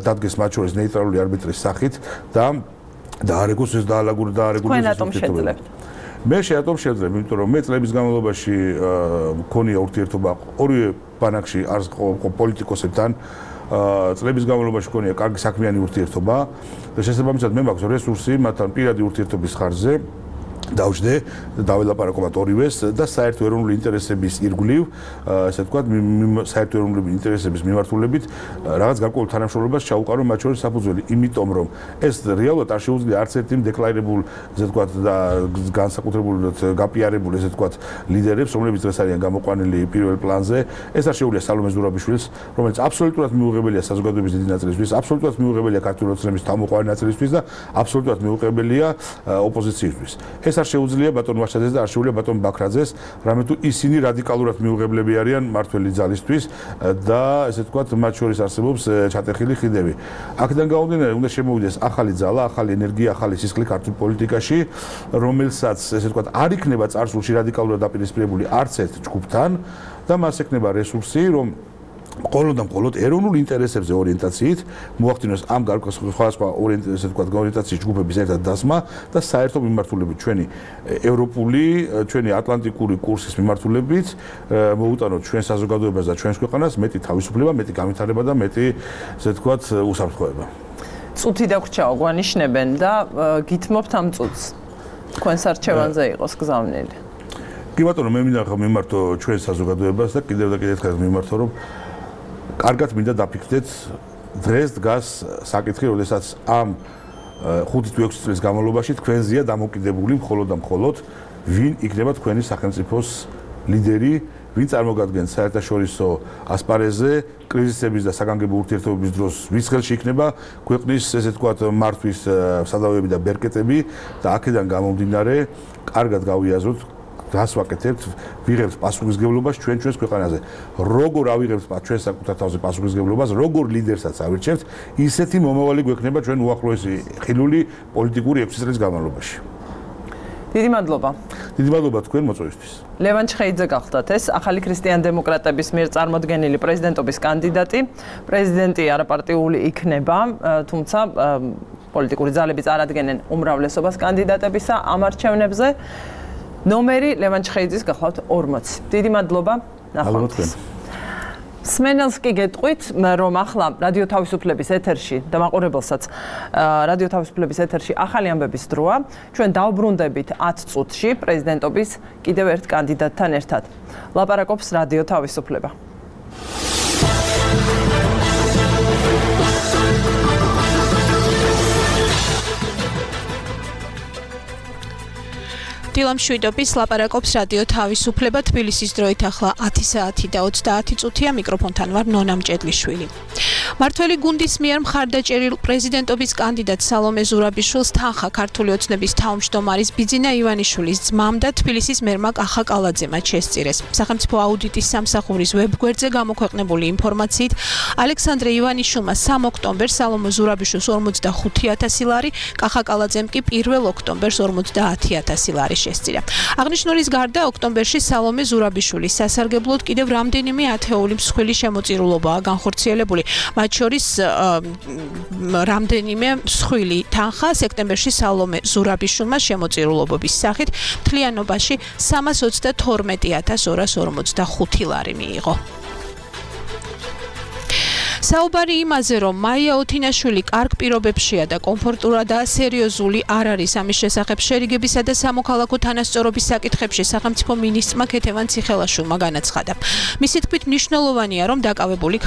დადგეს მათ შორის ნეიტრალური არბიტრის სახით და დაარეგოს ეს დაალაგურდა ურთიერთობა. მე შეატომ შევძლებ, იმიტომ რომ მე წლების განმავლობაში მქონია ურთიერთობა ორივე ბანაკში არს პოლიტიკოსებთან, წლების განმავლობაში მქონია კარგი საქმიანი ურთიერთობა და შესაბამისად მე მაქვს რესურსი მათთან პირადი ურთიერთობის ხარჯზე დავждე დაველაპარაკობთ ორივეს და საერთო ეროვნული ინტერესების ირგვლივ, ასე ვთქვათ, საერთო ეროვნული ინტერესების მიმართულებით რაღაც გარკვეულ თანამშრომლობას ჩაუყარო მათ შორის საფუძველი, იმიტომ რომ ეს რეალურად არ შეუძლია არც ერთი დეკლარირებულ, ასე ვთქვათ, და განსაკუთრებულად გაპიარებულ, ასე ვთქვათ, ლიდერებს, რომლებიც დღეს არიან გამოყვანილი პირველ პლანზე, ეს არ შეუძლია სალომე ზურაბიშვილს, რომელიც აბსოლუტურად მიუღებელია საზოგადოების დიდი ნაწილისთვის, აბსოლუტურად მიუღებელია ქართული ოცნების თავმოყრილი ნაწილისთვის და აბსოლუტურად მიუღებელია ოპოზიციისთვის. ეს არ შეუძლია ბატონ ვაშაძეს და არ შეუძლია ბატონ ბაქრაძეს, რამე თუ ისინი რადიკალურად მიუღებლები არიან მართველი ძალისთვის და ესე ვთქვათ, მათ შორის არსებობს ჩატეხილი ხიდები. აქედან გამომდინარე, უნდა შემოვიდეს ახალი ძალა, ახალი ენერგია, ახალი სისხლი ქართულ პოლიტიკაში, რომელსაც ესე ვთქვათ, არ იქნება წარსულში რადიკალურად დაპირისპირებული არც ერთ ჯგუფთან და მას ექნება რესურსი, რომ მხოლოდ ეროვნულ ინტერესებზე ორიენტაციით მოახდინოს ამ სხვადასხვა ესე ვთქვათ, ორიენტაციის ჯგუფების ერთად დასმა და საერთო მიმართულებით ჩვენი ევროპული, ჩვენი ატლანტიკური კურსის მიმართულებით მოუტანოთ ჩვენ საზოგადოებას და ჩვენს ქვეყანას მეტი თავისუფლება, მეტი განვითარება და მეტი ესე ვთქვათ, უსაფრთხოება. წუთი დაგვრჩაო, გვანიშნებენ და გითმობთ ამ წუთს. თქვენს არჩევანზე იყოს გზავნილი. კი ბატონო, მე მინდა ხა მიმართო ჩვენ საზოგადოებას და კიდევ ერთხელ მიმართო, რომ კარგად მინდა დაფიქრდეთ, დღეს დგას საკითხი, როდესაც ამ 5 თუ 6 წლის განმავლობაში თქვენზეა დამოკიდებული მხოლოდ ვინ იქნება თქვენი სახელმწიფოს ლიდერი, ვინ წარმოგადგენს საერთაშორისო ასპარეზზე კრიზისების და საგანგებო ურთიერთობების დროს, ვის ხელში იქნება ქვეყნის ესე ვთქვათ მართვის სადავეები და ბერკეტები და აქედან გამომდინარე კარგად გავიაზროთ რას ვაკეთებთ, ვიღებთ პასუხისმგებლობას ჩვენს ქვეყანაზე. როგორ ავიღებთ ჩვენ საკუთარ თავზე პასუხისმგებლობას, როგორ ლიდერსაც ავირჩევთ, ისეთი მომავალი გვექნება ჩვენ უახლოესი ხილული პოლიტიკური 6 წლის განმავლობაში. დიდი მადლობა. დიდი მადლობა თქვენ მოწვევისთვის. ლევან ჩხეიძე გახდათ ეს ახალი ქრისტიან-დემოკრატების მიერ წარმოდგენილი პრეზიდენტობის კანდიდატი. პრეზიდენტი არაპარტიული იქნება, თუმცა პოლიტიკური ძალები წარადგენენ უმრავლესობას კანდიდატებისა ამ არჩევნებზე. ნომერი ლევან ჩხეიძის გახლავთ 40. დიდი მადლობა. ნახვამდის. სმენელს კი გეტყვით, რომ ახლა რადიო თავისუფლების ეთერში და მაყურებელსაც რადიო თავისუფლების ეთერში ახალი ამბების დროა. ჩვენ დავბრუნდებით 10 წუთში პრეზიდენტობის კიდევ ერთ კანდიდატთან ერთად. ლაპარაკობს რადიო თავისუფლება. დილამ შვიდობის ლაპარაკობს რადიო თავისუფლება თბილისის დროით ახლა 10 საათი და 30 წუთია მიკროფონთან ვარ ნონა მჭედლიშვილი. მართველი გუნდის მიერ მხარდაჭერილ პრეზიდენტობის კანდიდატ სალომე ზურაბიშვილს თანხა ქართული ოცნების თავმჯდომარის ბიძინა ივანიშვილის ძმამ და თბილისის მერმა კახა კალაძემ შესწირეს. სახელმწიფო აუდიტის სამსახურის ვებგვერდზე გამოქვეყნებული ინფორმაციით ალექსანდრე ივანიშვილმა 3 ოქტომბერს სალომე ზურაბიშვილს 45,000 ლარი, კახა კალაძემ კი 1 ოქტომბერს 50,000 ლარი შესწირა. აღნიშნულის გარდა ოქტომბერში სალომე ზურაბიშვილის სასარგებლოდ კიდევ რამდენიმე ათეული მსხვილი შემოწირულობაა განხორციელებული. მათ შორის რამდენიმე მსხვილი თანხა სექტემბერში სალომე ზურაბიშვილმა შემოწირულობების სახით მთლიანობაში 322,245 ლარი მიიღო. საუბარი იმაზე, რომ მაია ოთინაშვილი კარგ პირობებშია და კომფორტურა და სერიოზული არ არის ამის შესახებ შერიგებისა და სამოქალაქო თანასწორობის საკითხებში სახელმწიფო მინისტრმა ქეთევან ციხელაშვილმა განაცხადა. მისი თქმით მნიშვნელოვანია, რომ დაკავებული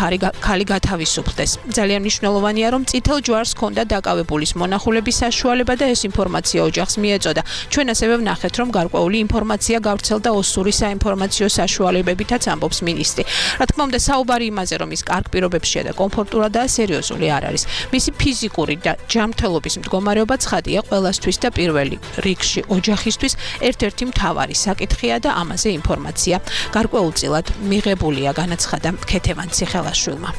ქალი გათავისუფლდეს. ძალიან მნიშვნელოვანია, რომ წითელ ჯვარს ჰქონდა დაკავებულის მონახულების საშუალება და ეს ინფორმაცია ოჯახს მიეწოდა. ჩვენ ასევე ვნახეთ, რომ გარკვეული ინფორმაცია გავრცელდა ოსური საინფორმაციო საშუალებებითაც ამბობს მინისტრი. რა თქმა უნდა, საუბარი იმაზე, რომ ის კარგ პირობებშია და კომფორტურა და სერიოზული არ არის. მისი ფიზიკური და ჯანმრთელობის მდგომარეობა ცხადია ყველასთვის და პირველი რიგში ოჯახისთვის ერთ-ერთი მთავარი საკითხია და ამაზე ინფორმაცია გარკვეულწილად მიღებულია, განაცხადა ქეთევან ციხელაშვილმა.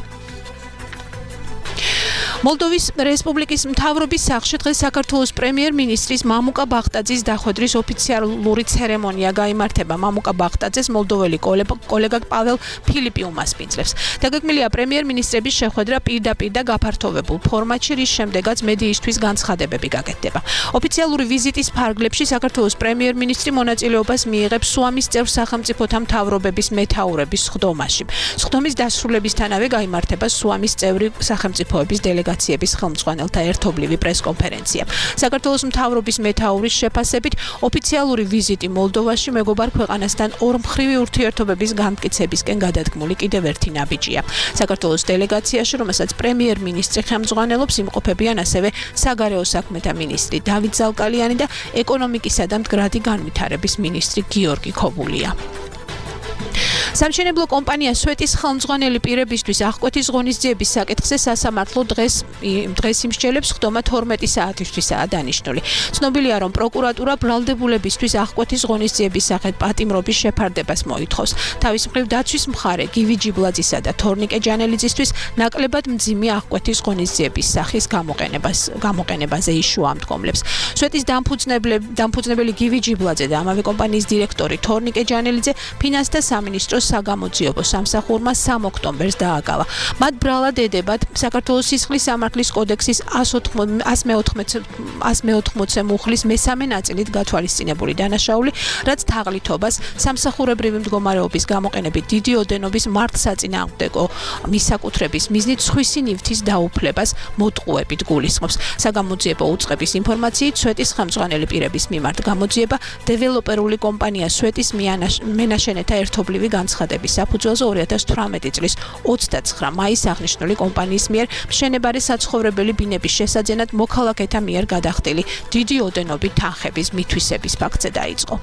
მოლდოვის რესპუბლიკის მთავრობის სახლში დღეს საქართველოს პრემიერ-მინისტრის მამუკა ბახტაძის დახვედრის ოფიციალური ცერემონია გაიმართება. მამუკა ბახტაძეს მოლდოველი კოლეგა პაվել ფილიპი უმასპინძლებს. დაგეგმილია პრემიერ-მინისტრების შეხვედრა პირდაპირ და გაფართოვებულ ფორმატში, რის შემდეგაც მედიისთვის განცხადებები გაკეთდება. ოფიციალური ვიზიტის ფარგლებში საქართველოს პრემიერ-მინისტრი მონაწილეობას მიიღებს სუამის წევრ სახელმწიფოთა მთავრობების მეთაურების სხდომაში. სხდომის დასრულებისთანავე გაიმართება სუამის წევრი სახელმწიფოების დელეგაციების ხელმძღვანელთა ერთობლივი პრესკონფერენცია. საქართველოს მთავრობის მეთაურის შეფასებით, ოფიციალური ვიზიტი მოლდოვაში მეგობარ ქვეყანასთან ორმხრივი ურთიერთობების განმტკიცებისკენ გადადგმული კიდევ ერთი ნაბიჯია. საქართველოს დელეგაციაში, რომელსაც პრემიერ-მინისტრი ხელმძღვანელობს, იმყოფებიან ასევე საგარეო საქმეთა მინისტრი დავით ზალკალიანი და ეკონომიკისა და მდგრადი განვითარების მინისტრი გიორგი ქობულია. სამშენებლო კომპანია სვეტის ხელმძღვანელი პირებისთვის აღკვეთის ღონისძიების საკითხზე სასამართლო დღეს იმსჯელებს ხდომა 12 საათისთვისაა დანიშნული. ცნობილია, რომ პროკურატურა ბრალდებულებისთვის აღკვეთის ღონისძიების სახით პატიმრობის შეფარდებას მოითხოვს. თავის მხრივ დაცვის მხარე გივი ჯიბლაძისა და თორნიკე ჯანელიძისთვის ნაკლებად მძიმე აღკვეთის ღონისძიების სახის გამოყენებაზე იშუა მდგომლებს. სვეტის დამფუძნებელი გივი ჯიბლაძე და ამავე კომპანიის დირექტორი თორნიკე ჯანელიძე ფინანსთა სამინისტროს საგამოძიებო სამსახურმა 3 ოქტომბერს დააკავა. მათ ბრალად ედებათ საქართველოს სისხლის სამართლის კოდექსის 114 მუხლის მესამე ნაწილით გათვალისწინებული დანაშაული, რაც თაღლითობას სამსახურებრივი მდგომარეობის გამოყენებით დიდი ოდენობის მართლსაწინააღმდეგო მისაკუთრების მიზნით სხვისი ნივთის დაუფლებას მოტყუებით გულისხმობს. საგამოძიებო უწყების ინფორმაციით, სვეტის ხელმძღვანელი პირების მიმართ გამოძიება დეველოპერული კომპანია სვეტის მენაშენეთა ერთობლივი განცხადების საფუძველზე 2018 წლის 29 მაისს აღნიშნული კომპანიის მიერ მშენებარე საცხოვრებელი ბინების შესაძენად მოქალაქეთა მიერ გადახდილი დიდი ოდენობით თანხების მითვისების ფაქტზე დაიწყო.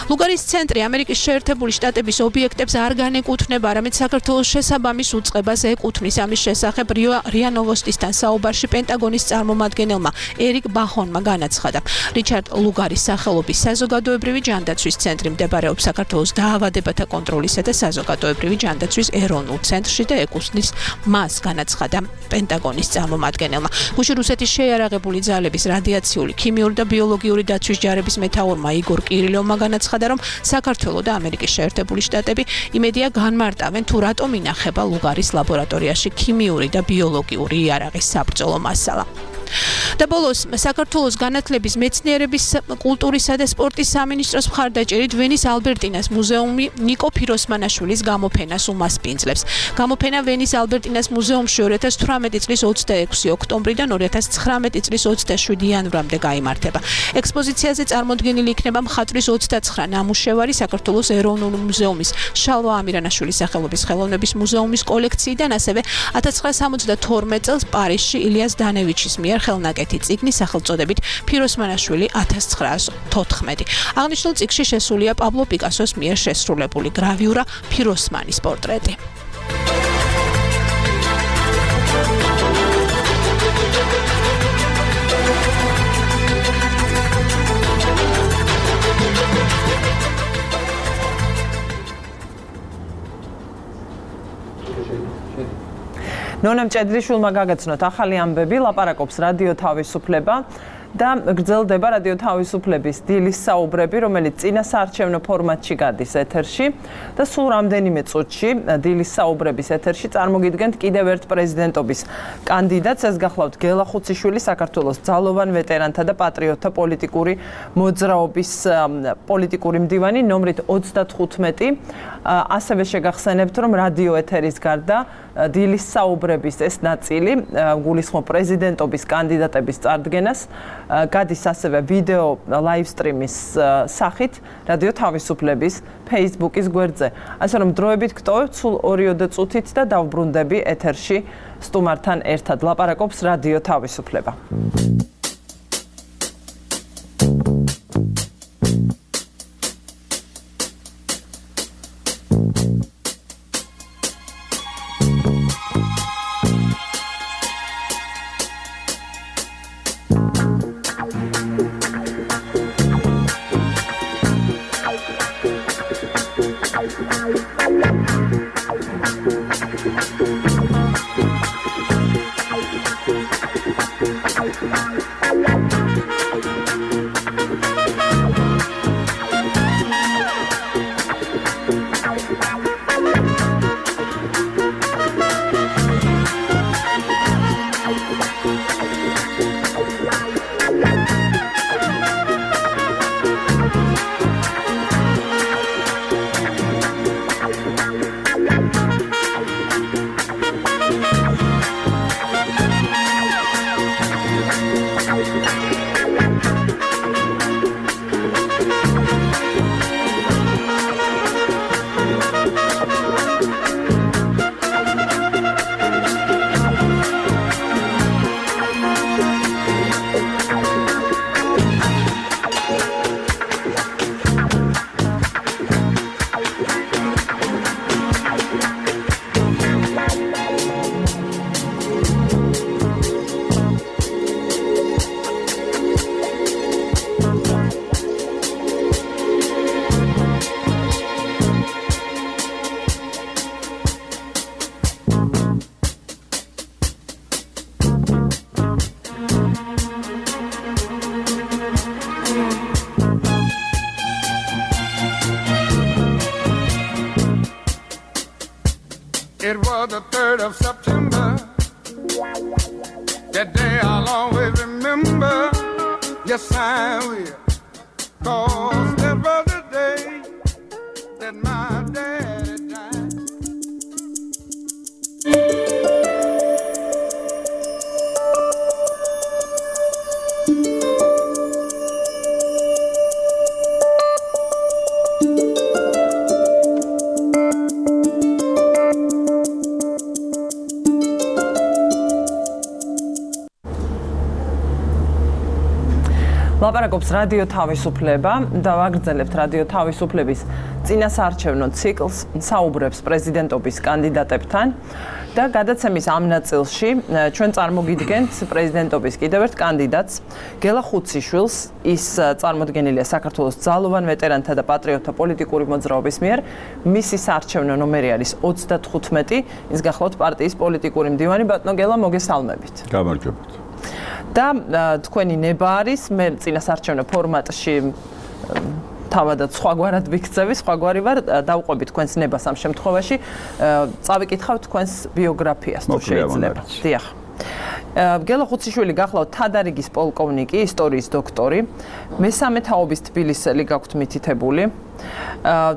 ლუგარის ცენტრი ამერიკის შეერთებული შტატების ობიექტებს არ განეკუთვნება, არამედ საქართველოს შესაბამის უწყებას ეკუთვნის. ამის შესახებ რია ნოვოსტისთან საუბარში პენტაგონის წარმომადგენელმა ერიკ ბახონმა განაცხადა. რიჩარდ ლუგარის სახელობის საზოგადოებრივი ჯანდაცვის ცენტრი მდებარეობს საქართველოს დაავადებათა კონტროლისა და საზოგადოებრივი ჯანდაცვის ეროვნულ ცენტრში და ეკუთვნის მას, განაცხადა პენტაგონის წარმომადგენელმა. გუშინ რუსეთის შეიარაღებული ძალების რადიაციული, ქიმიური და ბიოლოგიური დაცვის ჯარების მეთაურმა იგორ კირილოვმა განაცხადა, რომ საქართველო და ამერიკის შეერთებული შტატები იმედია განმარტავენ, თუ რატომ ინახება ლუგარის ლაბორატორიაში ქიმიური და ბიოლოგიური იარაღის საბრძოლო მასალა. და ბოლოს საქართველოს განათლების, მეცნიერების, კულტურისა და სპორტის სამინისტროს მხარდაჭერით ვენის ალბერტინას მუზეუმი ნიკო ფიროსმანაშვილის გამოფენას უმასპინძლებს. გამოფენა ვენის ალბერტინას მუზეუმში 2018 წლის 26 ოქტომბრიდან 2019 წლის 27 იანვრამდე გაიმართება. ექსპოზიციაზე წარმოდგენილი იქნება მხატვრის 29 ნამუშევარი საქართველოს ეროვნული მუზეუმის შალვა ამირანაშვილის სახელობის ხელოვნების მუზეუმის კოლექციიდან, ასევე 1972 წელს პარიზში ილიას დანევიჩის მიერ ხელნაკეთი წიგნი სახელწოდებით ფიროსმანაშვილი 1914. აღნიშნულ წიგნში შესულია პაბლო პიკასოს მიერ შესრულებული გრავიურა ფიროსმანის პორტრეტი. ნონამ ჭედრიშვილმა გაგაცნოთ ახალი ამბები, ლაპარაკობს რადიო თავისუფლება. და გრძელდება რადიო თავისუფლების დილის საუბრები, რომელიც წინასაარჩევნო ფორმატში გადის ეთერში და სულ რამდენიმე წუთში დილის საუბრების ეთერში წარმოგიდგენთ კიდევ ერთ პრეზიდენტობის კანდიდატს, ეს გახლავთ გელა ხუციშვილი, საქართველოს ძალოვან ვეტერანთა და პატრიოტთა პოლიტიკური მოძრაობის პოლიტიკური მდივანი ნომრით 35. ასევე შეგახსენებთ, რომ რადიო ეთერის გარდა დილის საუბრების ეს ნაწილი გულისხმობს პრეზიდენტობის კანდიდატების წარდგენას, გადის ასევე ვიდეო ლაივსტრიმის სახით რადიო თავისუფლების Facebook-ის გვერდზე. ასე რომ დროებით გტოვებთ სულ 2 წუთით და დავბრუნდები ეთერში სტუმართან ერთად. ლაპარაკობს რადიო თავისუფლება. It was the 3rd of September. That day I'll always remember. Yes, I will. 'Cause that was the day that my daddy died. ლაპარაკობს რადიო თავისუფლება და ვაგრძელებთ რადიო თავისუფლების წინასაარჩევნო ციკლს, საუბრებს პრეზიდენტობის კანდიდატებთან და გადაცემის ამ ნაწილში ჩვენ წარმოგიდგენთ პრეზიდენტობის კიდევ ერთ კანდიდატს, გელა ხუციშვილს. ის წარმოდგენილია საქართველოს ძალოვან ვეტერანთა და პატრიოტთა პოლიტიკური მოძრაობის მიერ. მისი საარჩევნო ნომერი არის 35. ის გახლავთ პარტიის პოლიტიკური მდივანი. ბატონო გელა, მოგესალმებით. გამარჯობათ. და თქვენი ნება არის, მე წინასაარჩევნო ფორმატში თავადაც სხვაგვარად ვიქცევი, სხვაგვარი ვარ, დავყვები თქვენს ნებას ამ შემთხვევაში. წავიკითხავ თქვენს ბიოგრაფიას თუ შეიძლება. დიახ. გელა ხუციშვილი გახლავთ თადარიგის პოლკოვნიკი, ისტორიის დოქტორი, მესამე თაობის თბილისელი გაქვთ მითითებული.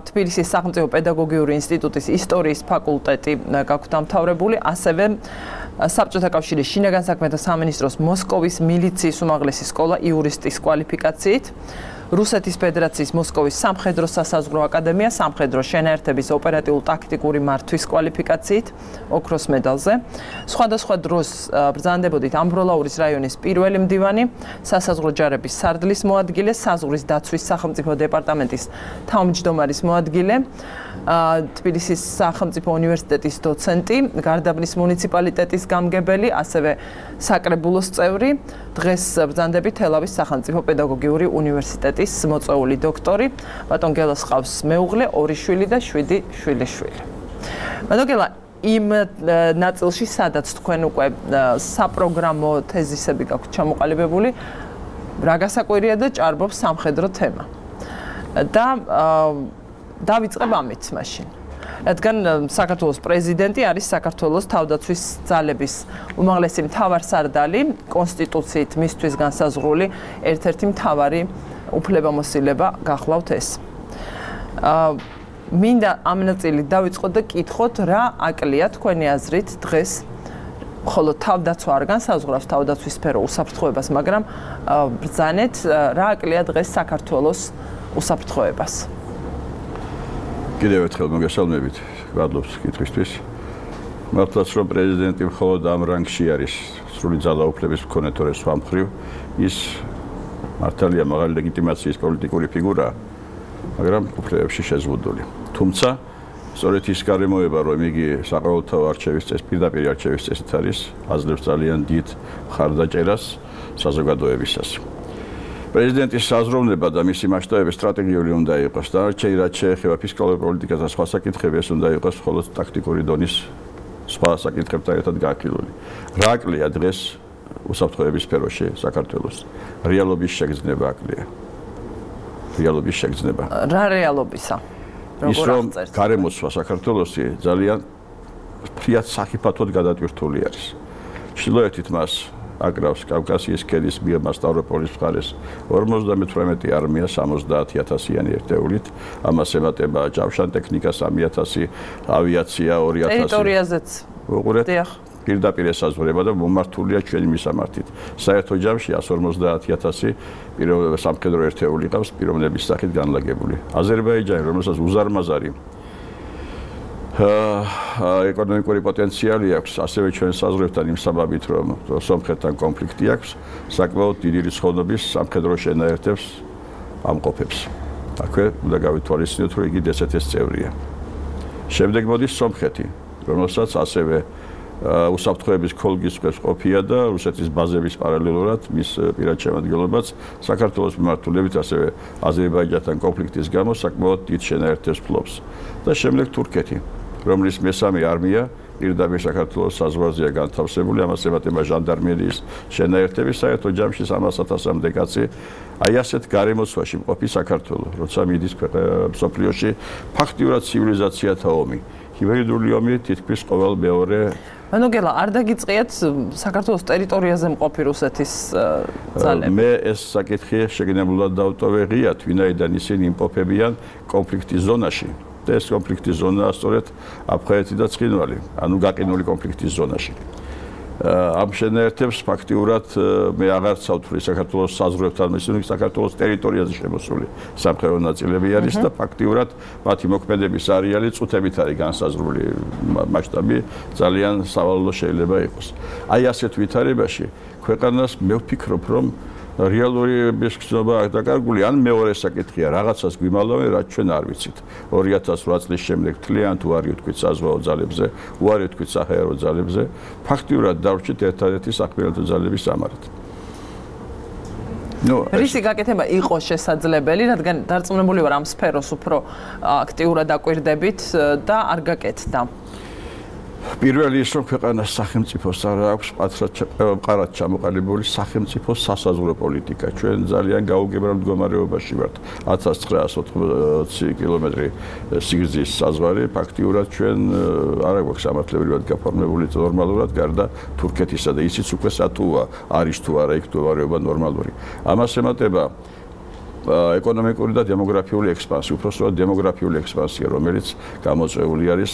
თბილისის სახელმწიფო პედაგოგიური ინსტიტუტის ისტორიის ფაკულტეტი გაქვთ დამთავრებული, ასევე საბჭოთა კავშირის შინაგან საქმეთა სამინისტროს მოსკოვის მილიციის უმაღლესი სკოლა იურისტის კვალიფიკაციით, რუსეთის ფედერაციის მოსკოვის სამხედრო სასაზღვრო აკადემია სამხედრო შენაერთების ოპერატიულ-ტაქტიკური მართვის კვალიფიკაციით, ოქროს მედალზე. სხვადასხვა დროს ბრძანდებოდით ამბროლაურის რაიონის პირველი მდივანი, სასაზღვრო ჯარების სარდლის მოადგილე, საზღვრის დაცვის სახელმწიფო დეპარტამენტის თავმჯდომარის მოადგილე, თბილისის სახელმწიფო უნივერსიტეტის დოცენტი, გარდაბნის მუნიციპალიტეტის გამგებელი, ასევე საკრებულოს წევრი, დღეს ბრძანდებით თელავის სახელმწიფო პედაგოგიური უნივერსიტეტის მოწვეული დოქტორი. ბატონ გელას ყავს მეუღლე, 2 შვილი და 7 შვილიშვილი. ბატონ გელა, იმ ნაწილში, სადაც თქვენ უკვე საპროგრამო თეზისები გაქვთ ჩამოყალიბებული, რა გასაკვირია და ჭარბობს სამხედრო თემა. და დავიწყებ ამით მაშინ. რადგან საქართველოს პრეზიდენტი არის საქართველოს თავდაცვის ძალების უმაღლესი მთავარსარდალი, კონსტიტუციით მისთვის განსაზღვრული ერთ-ერთი მთავარი უფლებამოსილება გახლავთ ეს. მინდა ამ ნაწილით დავიწყოთ და კითხოთ, რა აკლია თქვენი აზრით დღეს, ხოლო თავდაცვა არ განსაზღვრავს თავდაცვის სფერო უსაფრთხოებას, მაგრამ ბრძანეთ, რა აკლია დღეს საქართველოს უსაფრთხოებას. კიდევ ერთხელ მოგესალმებით, გვადლობს კითხვისთვის. მართლაც რომ პრეზიდენტი მხოლოდ ამ რანგში არის სრული ძალაუფლების მქონე, თორე სხვა მხრივ ის მართალია მაღალი ლეგიტიმაციის პოლიტიკური ფიგურაა, მაგრამ უფლებებში შეზღუდული. თუმცა სწორედ ის გარემოება, რომ იგი საყოველთაო არჩევის წესით, პირდაპირ არჩევის წესით არის, აძლევს ძალიან დიდ მხარდაჭერას საზოგადოებისას. პრეზიდენტის საზროვნება და მისი მასშტაბები სტრატეგიული უნდა იყოს. დანარჩენი რაც შეეხება ფისკალურ პოლიტიკას და სხვა საკითხები, ეს უნდა იყოს მხოლოდ ტაქტიკური დონის სხვა საკითხებთან ერთად განხილული. რა აკლია დღეს უსაფრთხოების სფეროში საქართველოს? რეალობის შეგრძნება აკლია. რეალობის შეგრძნება. რა რეალობისა? ის რომ გარემოცვა საქართველოსი ძალიან ფრიად სახიფათოდ გადატვირთული არის. ჩრდილოეთით მას აკრავს კავკასიის ქედის მიერ სტავროპოლის მხარეს 58 არმია 70,000-იანი ერთეულით, ამას ემატება ჯავშან ტექნიკა 3,000, ავიაცია 2,000. ტერიტორიაზეც. უყურეთ. პირდაპირ ესაზღვრება და მომართულია ჩვენი მისამართით. საერთო ჯამში 150,000 სამხედრო ერთეული ყავს პიროვნების სახით განლაგებული. აზერბაიჯანი, რომელსაც უზარმაზარი ეკონომიკური პოტენციალი აქვს, ასევე ჩვენ საზღვრებთან იმ საბაბით, რომ სომხეთთან კონფლიქტი აქვს, საკმაოდ დიდი რიცხოვნობის სამხედრო შენაერთებს ამყოფებს. აქვე უნდა გავითვალისწინოთ, რომ იგი DST-ის წევრია. შემდეგ მოდის სომხეთი, რომელსაც ასევე უსაფრთხოების ქოლგის ქვეშ ყოფია და რუსეთის ბაზების პარალელურად მის პირად შემადგენლობაც საქართველოს მიმართულებით ასევე აზერბაიჯანთან კონფლიქტის გამო საკმაოდ დიდ შენაერთებს ფლობს. და შემდეგ თურქეთი, რომლის მესამე არმია პირდაპირ საქართველოს საზღვარზეა განთავსებული, ამას ემატება ჟანდარმერიის შენაერთები, საერთო ჯამში 300,000-მდე კაცი აი ასეთ გარემოცვაში მყოფი საქართველო, როცა მიდის მსოფლიოში ფაქტიურად ცივილიზაციათა ომი. ჰიბრიდული ომი თითქმის ყოველ მეორე მანოგელა არ დაგიწყიათ საქართველოს ტერიტორიაზე მყოფი რუსეთის ძალები. მე ეს საკითხი შეგნებულად დავტოვე ღიად, ვინაიდან ისინი იმყოფებიან კონფლიქტის ზონაში. და ეს კონფლიქტის ზონაა სწორედ აფხაზეთი და ცხინვალი, ანუ გაყინული კონფლიქტის ზონაში. ამ შენაერთებს ფაქტიურად მე აღარ ცავთვლი საქართველოს საზღვრებთან, ისინი საქართველოს ტერიტორიაზე შემოსული სამხედრო ნაწილები არის და ფაქტიურად მათი მოქმედების არეალი წუთებით არის განსაზღვრული მასშტაბი, ძალიან სავალალო შეიძლება იყოს. აი ასეთ ვითარებაში ქვეყანას მე ვფიქრობ, რომ რეალური ბესქცნობა დაკარგული, ან მეორე საკითხია, რაღაცას გვიმალავენ, რაც ჩვენ არ ვიცით. 2008 წლის შემდეგ თლიან თუ არ ითქვით საზღვაო ძალებზე, უარი თქვით საჰაერო ძალებზე, ფაქტიურად დავრჩით ერთადერთი საქმიანობო ძალების სამარად. რისი გაკეთება იყო შესაძლებელი, რადგან დარწმუნებული ვარ ამ სფეროს უფრო აქტიურად დაკვირდებით და არ გაკეთდა. პირველი ის რომ ქვეყანას სახელმწიფოს არ აქვს მყარად ჩამოყალიბებული სახელმწიფო სასაზღვრო პოლიტიკა. ჩვენ ძალიან გაუგებრად მდგომარეობაში ვართ. 1980 კილომეტრი სიგრძის საზღვარი ფაქტიურად ჩვენ არ აქვს სამართლებრივად გაფორმებული ნორმალურად გარდა თურქეთისა და ისიც უკვე სათუა არის თუ არა იქ მდგომარეობა ნორმალური. ამას ემატება ეკონომიკური და დემოგრაფიული ექსპანსია, უпростоად დემოგრაფიული ექსპანსია, რომელიც გამოწვეული არის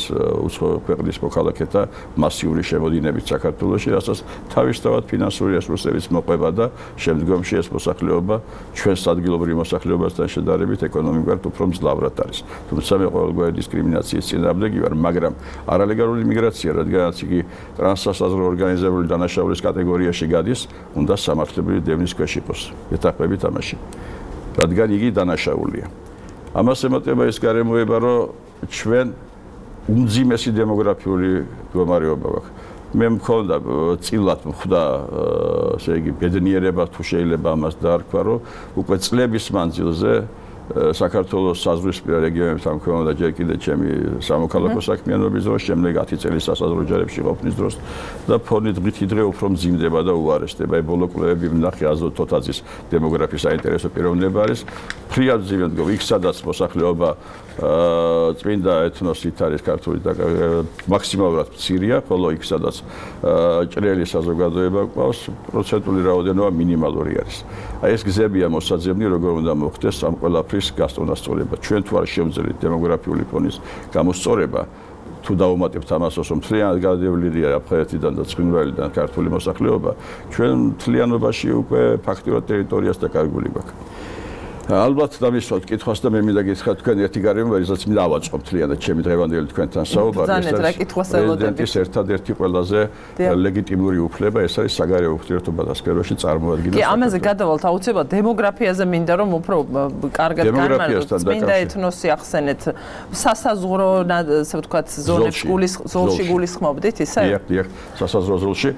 ქვეყნის მოქალაქეთა მასიური შემოდინებით საქართველოში, რასაც თავისთავად ფინანსური რესურსების მოყვება და შემდგომში ეს მოსახლეობა ჩვენს ადგილობრივ მოსახლეობასთან შედარებით ეკონომიკურად უფრო მძლავრად არის. თუმცა მე ყოველგვარი დისკრიმინაციის წინააღმდეგი ვარ, მაგრამ არალეგალური მიგრაცია, რადგანაც იგი ტრანსსაზღვრო ორგანიზებული დანაშაულის კატეგორიაში გადის, უნდა სამართლებრივი დევნის ქვეშ იყოს. ეთაყები თამაში. რადგან იგი დანაშაულია. ამას ემატება ის გარემოება, რომ ჩვენ უმძიმესი დემოგრაფიული მდგომარეობა გვაქვს. მე მქონდა წილად მხვდა, ესე იგი, ბედნიერება თუ შეიძლება ამას დაარქვა, რომ უკვე წლების მანძილზე საქართველოს საზღვრისპირა რეგიონებთან მქონდა ჯერ კიდევ ჩემი სამოქალაქო საქმიანობის დროს, შემდეგ 10 წელი სასაზღვრო ჯარებში ყოფნის დროს და ფონით დღითი დღე უფრო მძიმდება და უარესდება. ბოლო კვლევები ვნახე აზოტ თოთაძის დემოგრაფიის საინტერესო პიროვნება არის. ფრიად მძიმდება იქ, სადაც მოსახლეობა წმინდა ეთნოსით არის ქართული და მაქსიმალურად მცირეა, ხოლო იქ, სადაც ჭრელი საზოგადოება ყავს, პროცენტული რაოდენობა მინიმალური არის. აი ეს გზებია მოსაძებნი, როგორ უნდა მოხდეს ამ ყველაფრის გასწორება. ჩვენ თუ არ შევძლებთ დემოგრაფიული ფონის გამოსწორება, თუ დავუმატებთ ამასოს, რომ მთლიანად გადავლილია აფხაზეთიდან და ცხინვალიდან ქართული მოსახლეობა, ჩვენ მთლიანობაში უკვე ფაქტიურად ტერიტორიას დაკარგული გვაქვს. ალბათ დამისვათ კითხვას და მე მინდა გითხრათ თქვენ ერთი გარემო, რისაც მინდა ავაწყო მთლიანად ჩემი დღევანდელი თქვენთან საუბარი. პრეზიდენტის ერთადერთი ყველაზე ლეგიტიმური უფლება ეს არის საგარეო ურთიერთობათა სფეროში წარმოადგინა. კი, ამაზე გადავალთ აუცილებლად დემოგრაფიაზე მინდა რომ უფრო კარგად განმარტოთ. მინდა ეთნოსი ახსენეთ, სასაზღვრო, ასე ვთქვათ, ზონებში გულისხმობდით ისე? დიახ, სასაზღვრო ზოლში.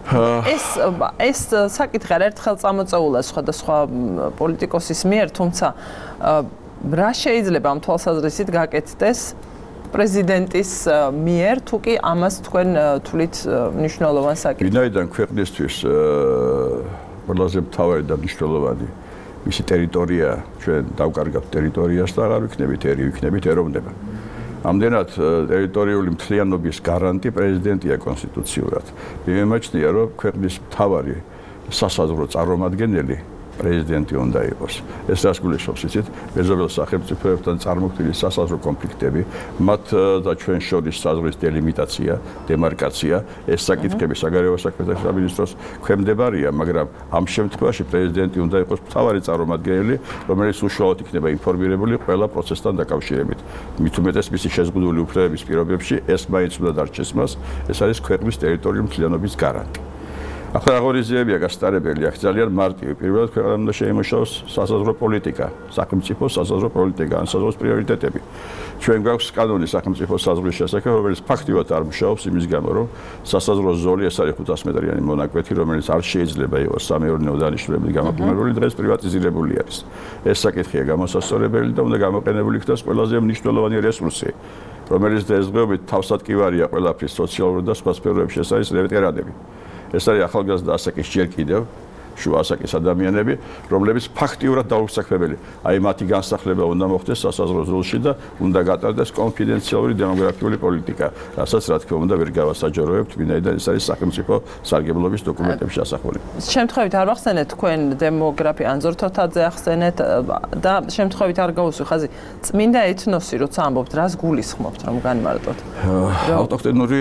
ეს საკითხი ერთხელ წამოწეულა სხვადასხვა პოლიტიკოსის მიერ, თუმცა რა შეიძლება ამ თვალსაზრისით გაკეთდეს პრეზიდენტის მიერ, თუ კი ამას თქვენ თვლით მნიშვნელოვან საკითხს? ვინაიდან ქვეყნისთვის ყველაზე მთავარი და მნიშვნელოვანი მისი ტერიტორია, ჩვენ დავკარგავთ ტერიტორიას და აღარ ვიქნებით ერი, ვიქნებით ეროვნება. ამდენად ტერიტორიული მთლიანობის გარანტი პრეზიდენტია კონსტიტუციურად. მე მემაჩნია, რომ ქვეყნის მთავარი სასაზღვრო წარმომადგენელი პრეზიდენტი უნდა იყოს. ეს რას გულისხმობს, იცით? მეზობელ სახელმწიფოებთან წარმოქმნილი სასაზღვრო კონფლიქტები, მათ და ჩვენ შორის საზღვრის დელიმიტაცია, დემარკაცია, ეს საკითხები საგარეო საქმეთა სამინისტროს ქვემდებარია, მაგრამ ამ შემთხვევაში პრეზიდენტი უნდა იყოს მთავარი წარმომადგენელი, რომელიც უშუალოდ იქნება ინფორმირებული ყველა პროცესთან დაკავშირებით. მით უმეტეს მისი შეზღუდული უფლებების პირობებში ეს მაინც უნდა დარჩეს მას, ეს არის ქვეყნის ტერიტორიული მთლიანობის გარანტი. ახლა აღორძინებია გასტარებელი, აქ ძალიან მარტივი. პირველად ქვეყანამ უნდა შეიმუშაოს სასაზღვრო პოლიტიკა, სახელმწიფო სასაზღვრო პოლიტიკა, ან საზღვრის პრიორიტეტები. ჩვენ გვაქვს კანონი სახელმწიფო საზღვრის შესახებ, რომელიც ფაქტიურად არ მუშაობს იმის გამო, რომ სასაზღვრო ზოლი ეს არის 500 მეტრიანი მონაკვეთი, რომელიც არ შეიძლება იყოს სამეურნეო დანიშნულებით გამოყენებული, დღეს პრივატიზირებული არის. ეს საკითხია გამოსასწორებელი და უნდა გამოყენებული იქნას ყველაზე მნიშვნელოვანი რესურსი, რომელიც დღესდღეობით თავსატკივარია ყველაფრის სოციალურ და სხვა სფეროებში, ეს არის ვეტერანები. ეს არის ახალგაზრდა ასაკის ჯერ კიდევ შუა ასაკის ადამიანები, რომლებიც ფაქტიურად დაუსაქმებელი. აი მათი განსახლება უნდა მოხდეს სასაზღვრო ზოლში და უნდა გატარდეს კონფიდენციალური დემოგრაფიული პოლიტიკა, რასაც რა თქმა უნდა ვერ გავასაჯაროებთ, ვინაიდან ეს არის სახელმწიფო სარგებლობის დოკუმენტებში ასახული. შემთხვევით არ ვახსენეთ თქვენ დემოგრაფია ანზორ თოთაძე ახსენეთ და შემთხვევით არ გავუსვი ხაზი წმინდა ეთნოსი, როცა ამბობთ, რას გულისხმობთ, რომ განმარტოთ? ავტოქტონური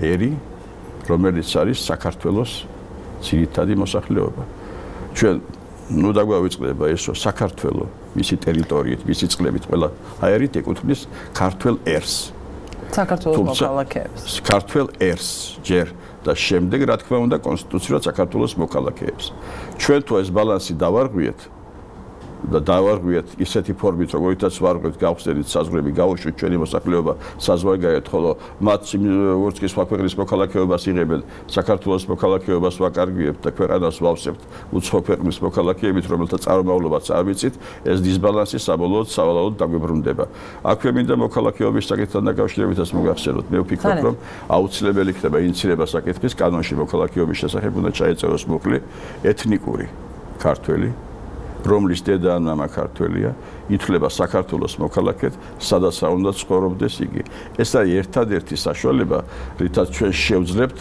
ერი რომელიც არის საქართველოს ძირითადი მოსახლეობა. ჩვენ ნუ დაგვავიწყდება ეს, რომ საქართველო მისი ტერიტორიით, მისი წყლებით ყველა აერით ეკუთვნის ქართველ ერს. საქართველოს მოქალაქეებს. ქართველ ერს ჯერ და შემდეგ რა თქმა უნდა კონსტიტუციურად საქართველოს მოქალაქეებს. ჩვენ თუ ეს ბალანსი დავარღვიეთ და დავარღვიეთ ისეთი ფორმით, როგორიცაც ვარღვევთ გავხსნით საზღვრები, გავუშვით ჩვენი მოსახლეობა საზღვარგარეთ, ხოლო მათ როგორც კი სხვა ქვეყნის მოქალაქეობას იღებენ, საქართველოს მოქალაქეობას ვაკარგვიებთ და ქვეყანას ვავსებთ უცხო ქვეყნის მოქალაქეებით, რომელთა წარმომავლობაც არ ვიცით, ეს დისბალანსი საბოლოოდ დაგვებრუნდება. აქვე მინდა მოქალაქეობის საკითხთან დაკავშირებითაც მოგახსენოთ. მე ვფიქრობ, რომ აუცილებელი იქნება ინიცირება საკითხის კანონში მოქალაქეობის შესახებ უნდა ჩაეწეროს მუხლი ეთნიკური ქართველი, რომლის დედა ან მამა ქართველია, ითვლება საქართველოს მოქალაქედ, სადაც უნდა ცხოვრობდეს იგი. ეს არის ერთადერთი საშუალება, რითაც ჩვენ შევძლებთ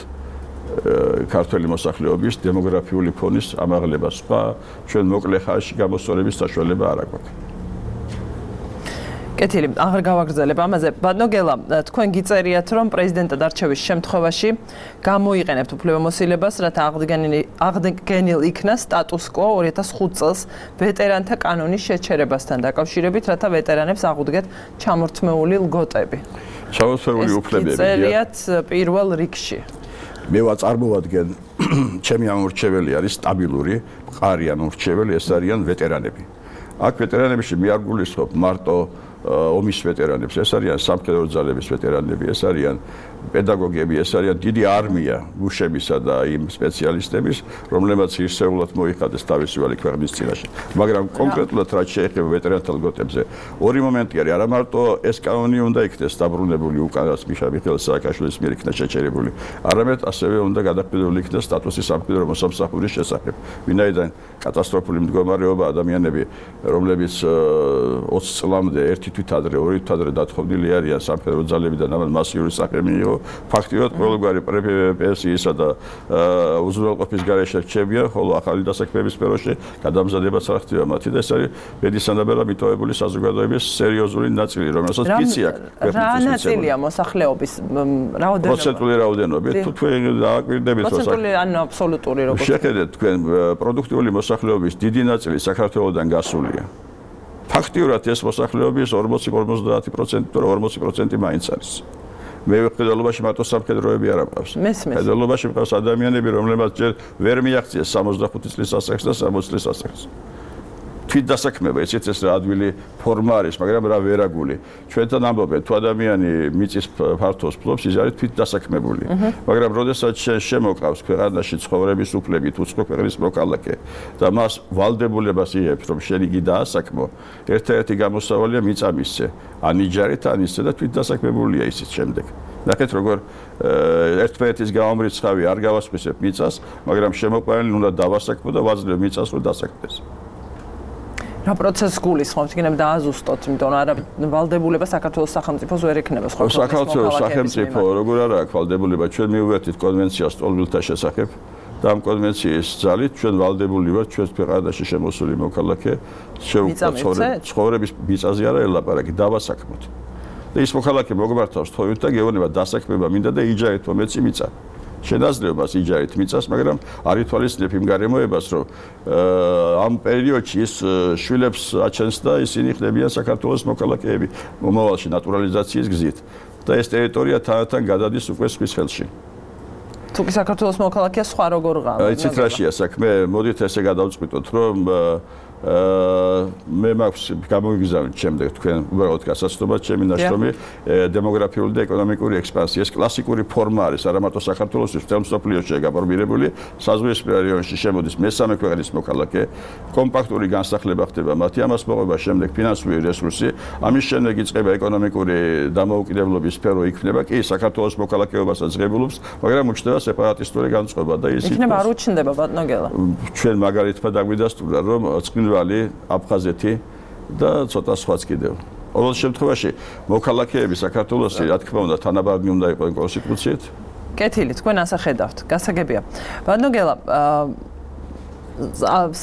ქართველი მოსახლეობის დემოგრაფიული ფონის ამაღლებას. სხვა ჩვენ მოკლე ხანში გამოსწორების საშუალება არ აქვს. კეთილი, აღარ გავაგრძელებ ამაზე. ბატონო, თქვენ გიწერიათ, რომ პრეზიდენტად არჩევის შემთხვევაში გამოიყენებთ უფლებამოსილებას, რათა აღდგენილ იქნა სტატუს კვო 2005 წელს ვეტერანთა კანონის შეჩერებასთან დაკავშირებით, რათა ვეტერანებს აღუდგეთ ჩამორთმეული ლგოტები. ჩამორთმეული უფლებები. გიწერიათ პირველ რიგში. მე ვაწარმოადგენ, ჩემი ამორჩეველი არის სტაბილური, მყარი ამორჩეველი, ეს არიან ვეტერანები. აქ ვეტერანებში მე არ გულისხმობ მარტო ომის ვეტერანებს, ეს არიან სამხედრო ძალების ვეტერანები, ეს არიან პედაგოგები, ეს არიან დიდი არმია გუშებისა და იმ სპეციალისტების, რომლებმაც ისეულად მოიხადეს თავისუფალი ქვეყნის წინაშე. მაგრამ კონკრეტულად რაც შეეხება ვეტერანთა ლგოტებზე, ორი მომენტი არის, არა მარტო ეს კანონი უნდა იქნეს დაბრუნებული უკანაც მიხეილ სააკაშვილის მიერ იქნა შეჩერებული, არამედ ასევე უნდა გადაყიდული იქნეს სტატუსი სამხედრო მოსამსახურის შესახებ. ვინაიდან კატასტროფული მდგომარეობა ადამიანები, რომლებიც 20 წლამდე ერთი თვით ადრე, ორი თვით ადრე დათხოვნილი არიან სამხედრო ძალებიდან, ამან მასიური სახე მიიღო. ფაქტიურად ყოველგვარი პრეფესიისა და უზრუნველყოფის გარეშე რჩებიან, ხოლო ახალი დასაქმების სფეროში გადამზადებაც არ ხდება მათი და ეს არის ბედისანაბელა მიტოვებული საზოგადოების სერიოზული ნაწილი, რომელსაც ფიცი აქვს. რა ნაწილია მოსახლეობის რაოდენობა? პროცენტული რაოდენობით, თუ თქვენ დააკვირდებით, პროცენტული ანუ აბსოლუტური როგორ? შეხედეთ თქვენ პროდუქტიული მოსახლეობის დიდი ნაწილი საქართველოსდან გასულია. ფაქტიურად ეს მოსახლეობის 40-50% თუ 40% მაინც არის. მე ვხედელობაში მარტო სამხედროები არ მყავს. ხედელობაში მყავს ადამიანები, რომლებსაც ჯერ ვერ მიაღწიეს 65 წლის ასაკს და 60 წლის ასაკს. თვით დასაქმება, ესეც ეს რა ადვილი ფორმა არის, მაგრამ რა ვერაგული. ჩვენთან ამბობენ, თუ ადამიანი მიწის ფართოს ფლობს, ის არის თვით დასაქმებული. მაგრამ როდესაც შემოყავს ქვეყანაში ცხოვრების უფლებით უცხო ქვეყნის მოქალაქე და მას ვალდებულებას იღებს, რომ შენ იგი დაასაქმო, ერთ-ერთი გამოსავალია მიწა მისცე. ან იჯარით, ან ისე და თვით დასაქმებულია ისიც შემდეგ. ნახეთ როგორ ერთმანეთის გამომრიცხავი არ გავასხვისებ მიწას, მაგრამ შემოყვანილი უნდა დავასაქმო და ვაძლევ მიწას რომ დასაქმდეს. რა პროცესს გულისხმობთ, იქნებ დააზუსტოთ, იმიტომ რომ არა ვალდებულება საქართველოს სახელმწიფოს ვერ ექნება სხვა ქვეყნის საქართველოს სახელმწიფო როგორ არა აქვს ვალდებულება, ჩვენ მივუერთით კონვენციას ტოლვილთა შესახებ და ამ კონვენციის ძალით ჩვენ ვალდებული ვართ ჩვენს ქვეყანაში შემოსული მოქალაქე ცხოვრების მიწაზე არა ელაპარაკი, დავასაქმოთ. და ის მოქალაქე მოგმართავს თხოვით და გეუბნება დასაქმება მინდა და იჯარით მომეცი მიწა. შენაძლევ მას იჯარით მიწას, მაგრამ არ ითვალისწინებ იმ გარემოებას, რომ ამ პერიოდში ის შვილებს აჩენს და ისინი ხდებიან საქართველოს მოქალაქეები მომავალში ნატურალიზაციის გზით და ეს ტერიტორია თანდათან გადადის უკვე სხვის ხელში. თუ კი საქართველოს მოქალაქეა სხვა როგორ ღამე? იცით რაშია საქმე, მოდით ესე გადავწყვიტოთ, რომ მე მაქვს გამოგიგზავნით შემდეგ თქვენ უბრალოდ გასაცდომად ჩემი ნაშრომი დემოგრაფიული და ეკონომიკური ექსპანსია. ეს კლასიკური ფორმა არის, არა მარტო საქართველოსთვის, მთელ მსოფლიოშია გაფორმირებული. საზღვისპირა რაიონში შემოდის მესამე ქვეყნის მოქალაქე, კომპაქტური განსახლება ხდება მათი, ამას მოყვება შემდეგ ფინანსური რესურსი, ამის შემდეგ იწყება ეკონომიკური დამოუკიდებლობის სფერო იქნება, კი საქართველოს მოქალაქეობასაც ღებულობს, მაგრამ უჩნდება სეპარატისტური განწყობა და ის იქნება არ უჩნდება ბატონო გელა. ჩვენ მაგალითად დაგვიდასტურა, რომ აფხაზეთი და ცოტა სხვაც კიდევ. ყოველ შემთხვევაში მოქალაქეები საქართველოსი რა თქმა უნდა თანაბარგნი უნდა იყოს კონსტიტუციით. კეთილი, თქვენ ასე ხედავთ. გასაგებია. ბატონო გელა,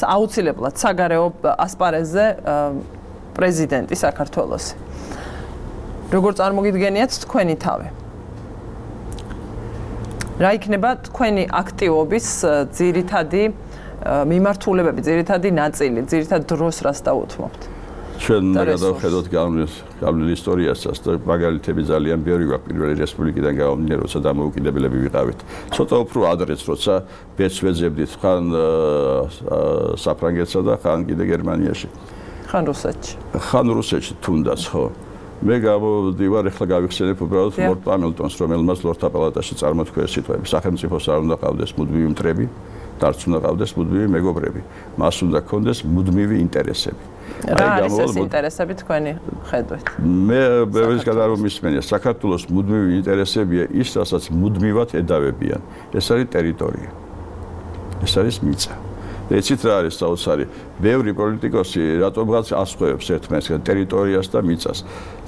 აუცილებლად საგარეო ასპარეზზე პრეზიდენტი საქართველოსი. როგორ წარმოგიდგენიათ თქვენი თავი? რა იქნება თქვენი აქტივობის ძირითადი მიმართულებები, ძირითადი ნაწილი, ძირითად დროს რას დაუთმობთ? ჩვენ გადავხედოთ გავლილი ისტორიასაც და მაგალითები ძალიან ბევრი გვაქვს პირველი რესპუბლიკიდან გამომდინარე, როცა დამოუკიდებლები ვიყავით. ცოტა უფრო ადრეც, როცა ბედს ვეძებდით ხან საფრანგეთსა და ხან კიდე გერმანიაში. ხან რუსეთში. ხან რუსეთში თუნდაც, ხო. მე გამოდივარ, ეხლა გავიხსენებ უბრალოდ ლორდ პამილტონს, რომელმაც ლორდთა პალატაში წარმოთქვა ეს სიტყვები. სახელმწიფოს არ უნდა ყავდეს მუდმივი მტრები, დარც უნდა ყავდეს მუდმივი მეგობრები. მას უნდა ქონდეს მუდმივი ინტერესები. რა არის ეს ინტერესები თქვენი ხედვით? მე ბევრის გადარომ მისმენია, საქართველოს მუდმივი ინტერესებია ის, რასაც მუდმივად ედავებიან. ეს არის ტერიტორია. ეს არის მიწა. ეცით რა არის საოცარი? ბევრი პოლიტიკოსი რატომღაც ასხვევებს ერთმანეთს ტერიტორიას და მიწას.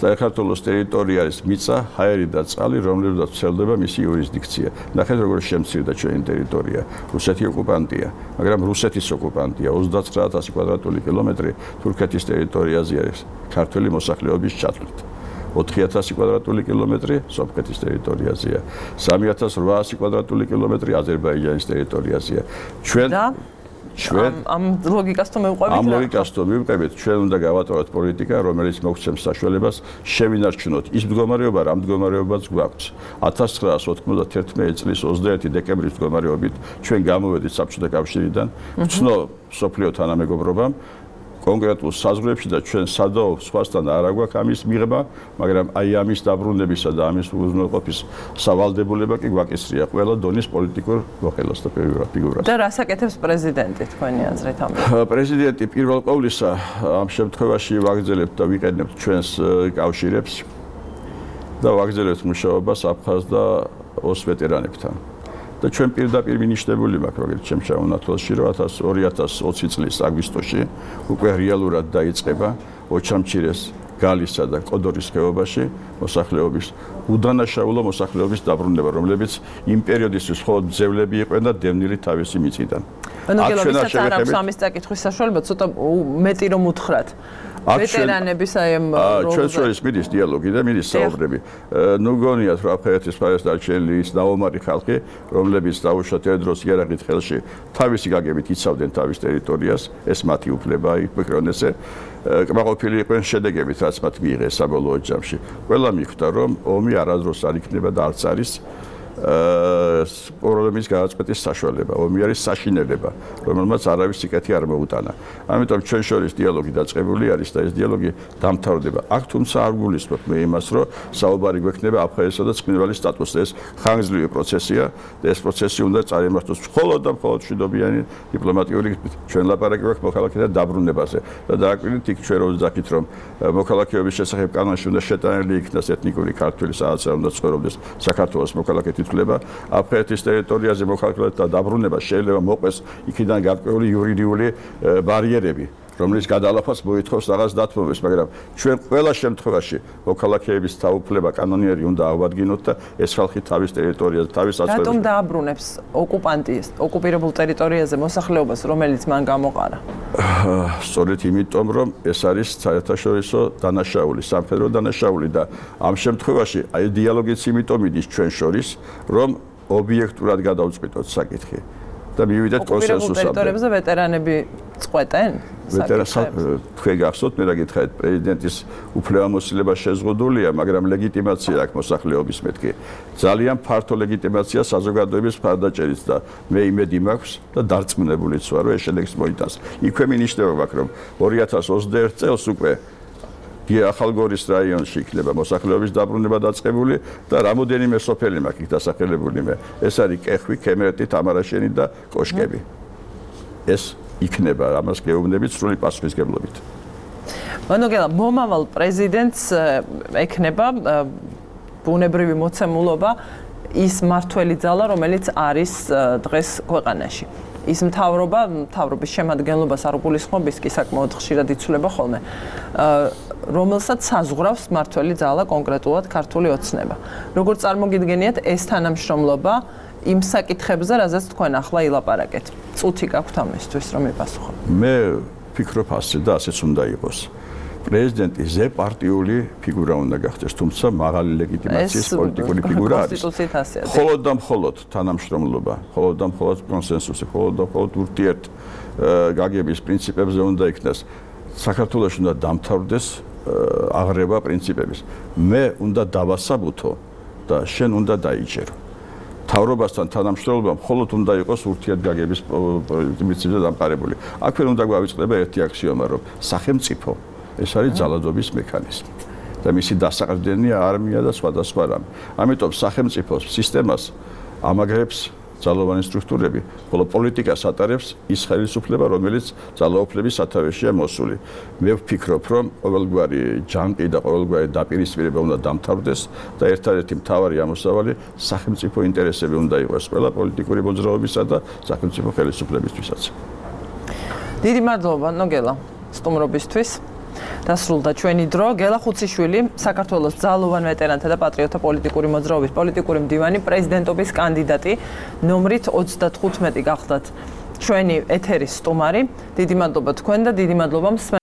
საქართველოს ტერიტორია არის მიწა, ჰაერი და წყალი, რომლებსაც ვრცელდება მისი იურისდიქცია. ნახეთ როგორ შემცირდა ჩვენი ტერიტორია. რუსეთი ოკუპანტია, მაგრამ რუსეთის ოკუპანტია 29000 კვადრატული კილომეტრი თურქეთის ტერიტორიაზე არის ქართული მოსახლეობის ჩათვლით. 4000 კვადრატული კილომეტრი სომხეთის ტერიტორიაზეა. 3800 კვადრატული კილომეტრი აზერბაიჯანის ტერიტორიაზეა. ჩვენ ამ ლოგიკას თუ მივყვებით, ამ ლოგიკას თუ მივყვებით, ჩვენ უნდა გავატაროთ პოლიტიკა, რომელიც მოგცემს საშუალებას შევინარჩუნოთ ის მდგომარეობა, რა მდგომარეობაც გვაქვს. 1991 წლის 21 დეკემბრის მდგომარეობით ჩვენ გამოვედით საბჭოთა კავშირიდან, ვცნო მსოფლიო თანამეგობრობამ კონკრეტულ საზღვრებში და ჩვენ სადაო სხვასთან არ აგვაქვს ამის მიღება, მაგრამ აი ამის დაბრუნებისა და ამის უზრუნველყოფის სავალდებულება კი გვაკისრია ყველა დონის პოლიტიკურ მოხელას და ფიგურას. და რას აკეთებს პრეზიდენტი თქვენი აზრით ამით? პრეზიდენტი პირველ ყოვლისა ამ შემთხვევაში ვაგრძელებთ და ვიყენებთ ჩვენს კავშირებს და ვაგრძელებთ მუშაობას აფხაზ და ოს ვეტერანებთან. და ჩვენ პირდაპირ მინიშნებული მაქვს როგორც ჩემ შეუნათვალში რომ 2020 წლის აგვისტოში უკვე რეალურად დაიწყება ოჩამჩირეს გალისა და კოდორის ხეობაში მოსახლეობის უდანაშაულო მოსახლეობის დაბრუნება, რომლებიც იმ პერიოდისთვის მხოლოდ ძევლები იყვნენ და დევნილი თავისი მიწიდან. ვისაც არ აქვს ამის წაკითხვის საშუალება, ცოტა მეტი რომ უთხრათ. ვეტერანების აი ამ ჩვენ შორის მიდის დიალოგი და მიდის საუბრები. ნუ გონიათ რომ აფხაზეთის მხარეს დარჩენილი ის დაომარი ხალხი, რომლებიც დაუშვათ ერთ დროს იარაღით ხელში თავისი გაგებით იცავდნენ თავის ტერიტორიას, ეს მათი უფლება იქნებოდა. კმაყოფილი იყვნენ შედეგებით, რაც მათ მიიღეს საბოლოო ჯამში. ყველა მიხვდა რომ ომი არასდროს არ იქნება და არც არის პრობლემის გადაწყვეტის საშუალება, ომი არის საშინელება, რომელმაც არავის სიკეთე არ მოუტანა. ამიტომ ჩვენ შორის დიალოგი დაწყებული არის და ეს დიალოგი დამთავრდება. აქ თუმცა არ გულისხმობ მე იმას, რომ საუბარი გვექნება აფხაზეთსა და ცხინვალის სტატუსზე. ეს ხანგრძლივი პროცესია და ეს პროცესი უნდა წარიმართოს მხოლოდ და მხოლოდ მშვიდობიანი დიპლომატიური გზით. ჩვენ ლაპარაკი გვაქვს მოქალაქეთა დაბრუნებაზე და დააკვირდით იქ ჩვენ რო ვძახით, რომ მოქალაქეობის შესახებ კანონში უნდა შეტანილი იქნას ეთნიკური ქართველი, სადაც უნდა ცხოვრობდეს საქართველოს მოქალაქე თვითვლება, აფხაზეთის ტერიტორიაზე მოქალაქეთა დაბრუნება შეიძლება მოყვეს იქიდან გარკვეული იურიდიული ბარიერები, რომელიც გადალაფას მოითხოვს რაღაც დათმობებს, მაგრამ ჩვენ ყველა შემთხვევაში მოქალაქეების თაუფლება კანონიერი უნდა ავადგინოთ და ეს ხალხი თავის ტერიტორიაზე, თავის აცხოვრებაში. რატომ დააბრუნებს ოკუპანტი ოკუპირებულ ტერიტორიაზე მოსახლეობას, რომელიც მან გამოყარა? სწორედ იმიტომ, რომ ეს არის საერთაშორისო დანაშაული, სამხედრო დანაშაული და ამ შემთხვევაში აი დიალოგიც იმიტომ მიდის ჩვენ შორის, რომ ობიექტურად გადავწყვიტოთ საკითხი. და მივიდეთ კონსენსუსამდე. ტერიტორიებზე ვეტერანები წყვეტენ? თქვენ გახსოვთ, მე რა გითხარით, პრეზიდენტის უფლებამოსილება შეზღუდულია, მაგრამ ლეგიტიმაცია აქვს მოსახლეობის მეთქი. ძალიან ფართო ლეგიტიმაცია საზოგადოების მხარდაჭერით და მე იმედი მაქვს და დარწმუნებულიც ვარ, რომ ეს შედეგს მოიტანს. იქვე მინიშნება მაქვს, რომ 2021 წელს უკვე ახალგორის რაიონში იქნება მოსახლეობის დაბრუნება დაწყებული და რამოდენიმე სოფელი მაქვს იქ დასახელებული მე. ეს არის კეხვი, ქემერტი, თამარაშენი და კოშკები. ეს იქნება, ამას გეუბნებით სრული პასუხისგებლობით. მანოგელა, მომავალ პრეზიდენტს ექნება ბუნებრივი მოცემულობა ის მართველი ძალა, რომელიც არის დღეს ქვეყანაში. ის მთავრობის შემადგენლობას არ გულისხმობ, ის კი საკმაოდ ხშირად იცვლება ხოლმე. რომელსაც საზღვრავს მართველი ძალა კონკრეტულად ქართული ოცნება. როგორც წარმოგიდგენიათ, ეს თანამშრომლობა იმ საკითხებზე, რაზეც თქვენ ახლა ილაპარაკეთ. წუთი გაქვთ ამისთვის, რომ მიპასუხოთ. მე ვფიქრობ ასე და ასეც უნდა იყოს. პრეზიდენტი ზეპარტიული ფიგურა უნდა გახდეს, თუმცა მაღალი ლეგიტიმაციის პოლიტიკური ფიგურა არის. კონსტიტუციით ასეა. მხოლოდ და მხოლოდ თანამშრომლობა, მხოლოდ და მხოლოდ კონსენსუსი, მხოლოდ და მხოლოდ ურთიერთ გაგების პრინციპებზე უნდა იქნას. საქართველოს უნდა დამთავრდეს აღრევა პრინციპების. მე უნდა დავასაბუთო და შენ უნდა დაიჭერო. თავრობასთან თანამშრომლობა მხოლოდ უნდა იყოს ურთიერთგაგების პრინციპზე დამყარებული. აქვე უნდა გვავიწყდება ერთი აქსიომა, რომ სახელმწიფო ეს არის ძალადობის მექანიზმი და მისი დასაყრდენია არმია და სხვადასხვა რამე. ამიტომ სახელმწიფოს სისტემას ამაგრებს ძალოვანი სტრუქტურები, ხოლო პოლიტიკას ატარებს ის ხელისუფლება, რომელიც ძალაუფლების სათავეშია მოსული. მე ვფიქრობ, რომ ყოველგვარი ჯანყი და ყოველგვარი დაპირისპირება უნდა დამთავრდეს და ერთადერთი მთავარი ამოსავალი სახელმწიფო ინტერესები უნდა იყოს ყველა პოლიტიკური მოძრაობისა და სახელმწიფო ხელისუფლებისთვისაც. დიდი მადლობა, ნოგელა, სტუმრობისთვის. დასრულდა ჩვენი დრო. გელა ხუციშვილი, საქართველოს ძალოვან ვეტერანთა და პატრიოტთა პოლიტიკური მოძრაობის პოლიტიკური მდივანი, პრეზიდენტობის კანდიდატი ნომრით 35 გახლდათ ჩვენი ეთერის სტუმარი. დიდი მადლობა თქვენ და დიდი მადლობა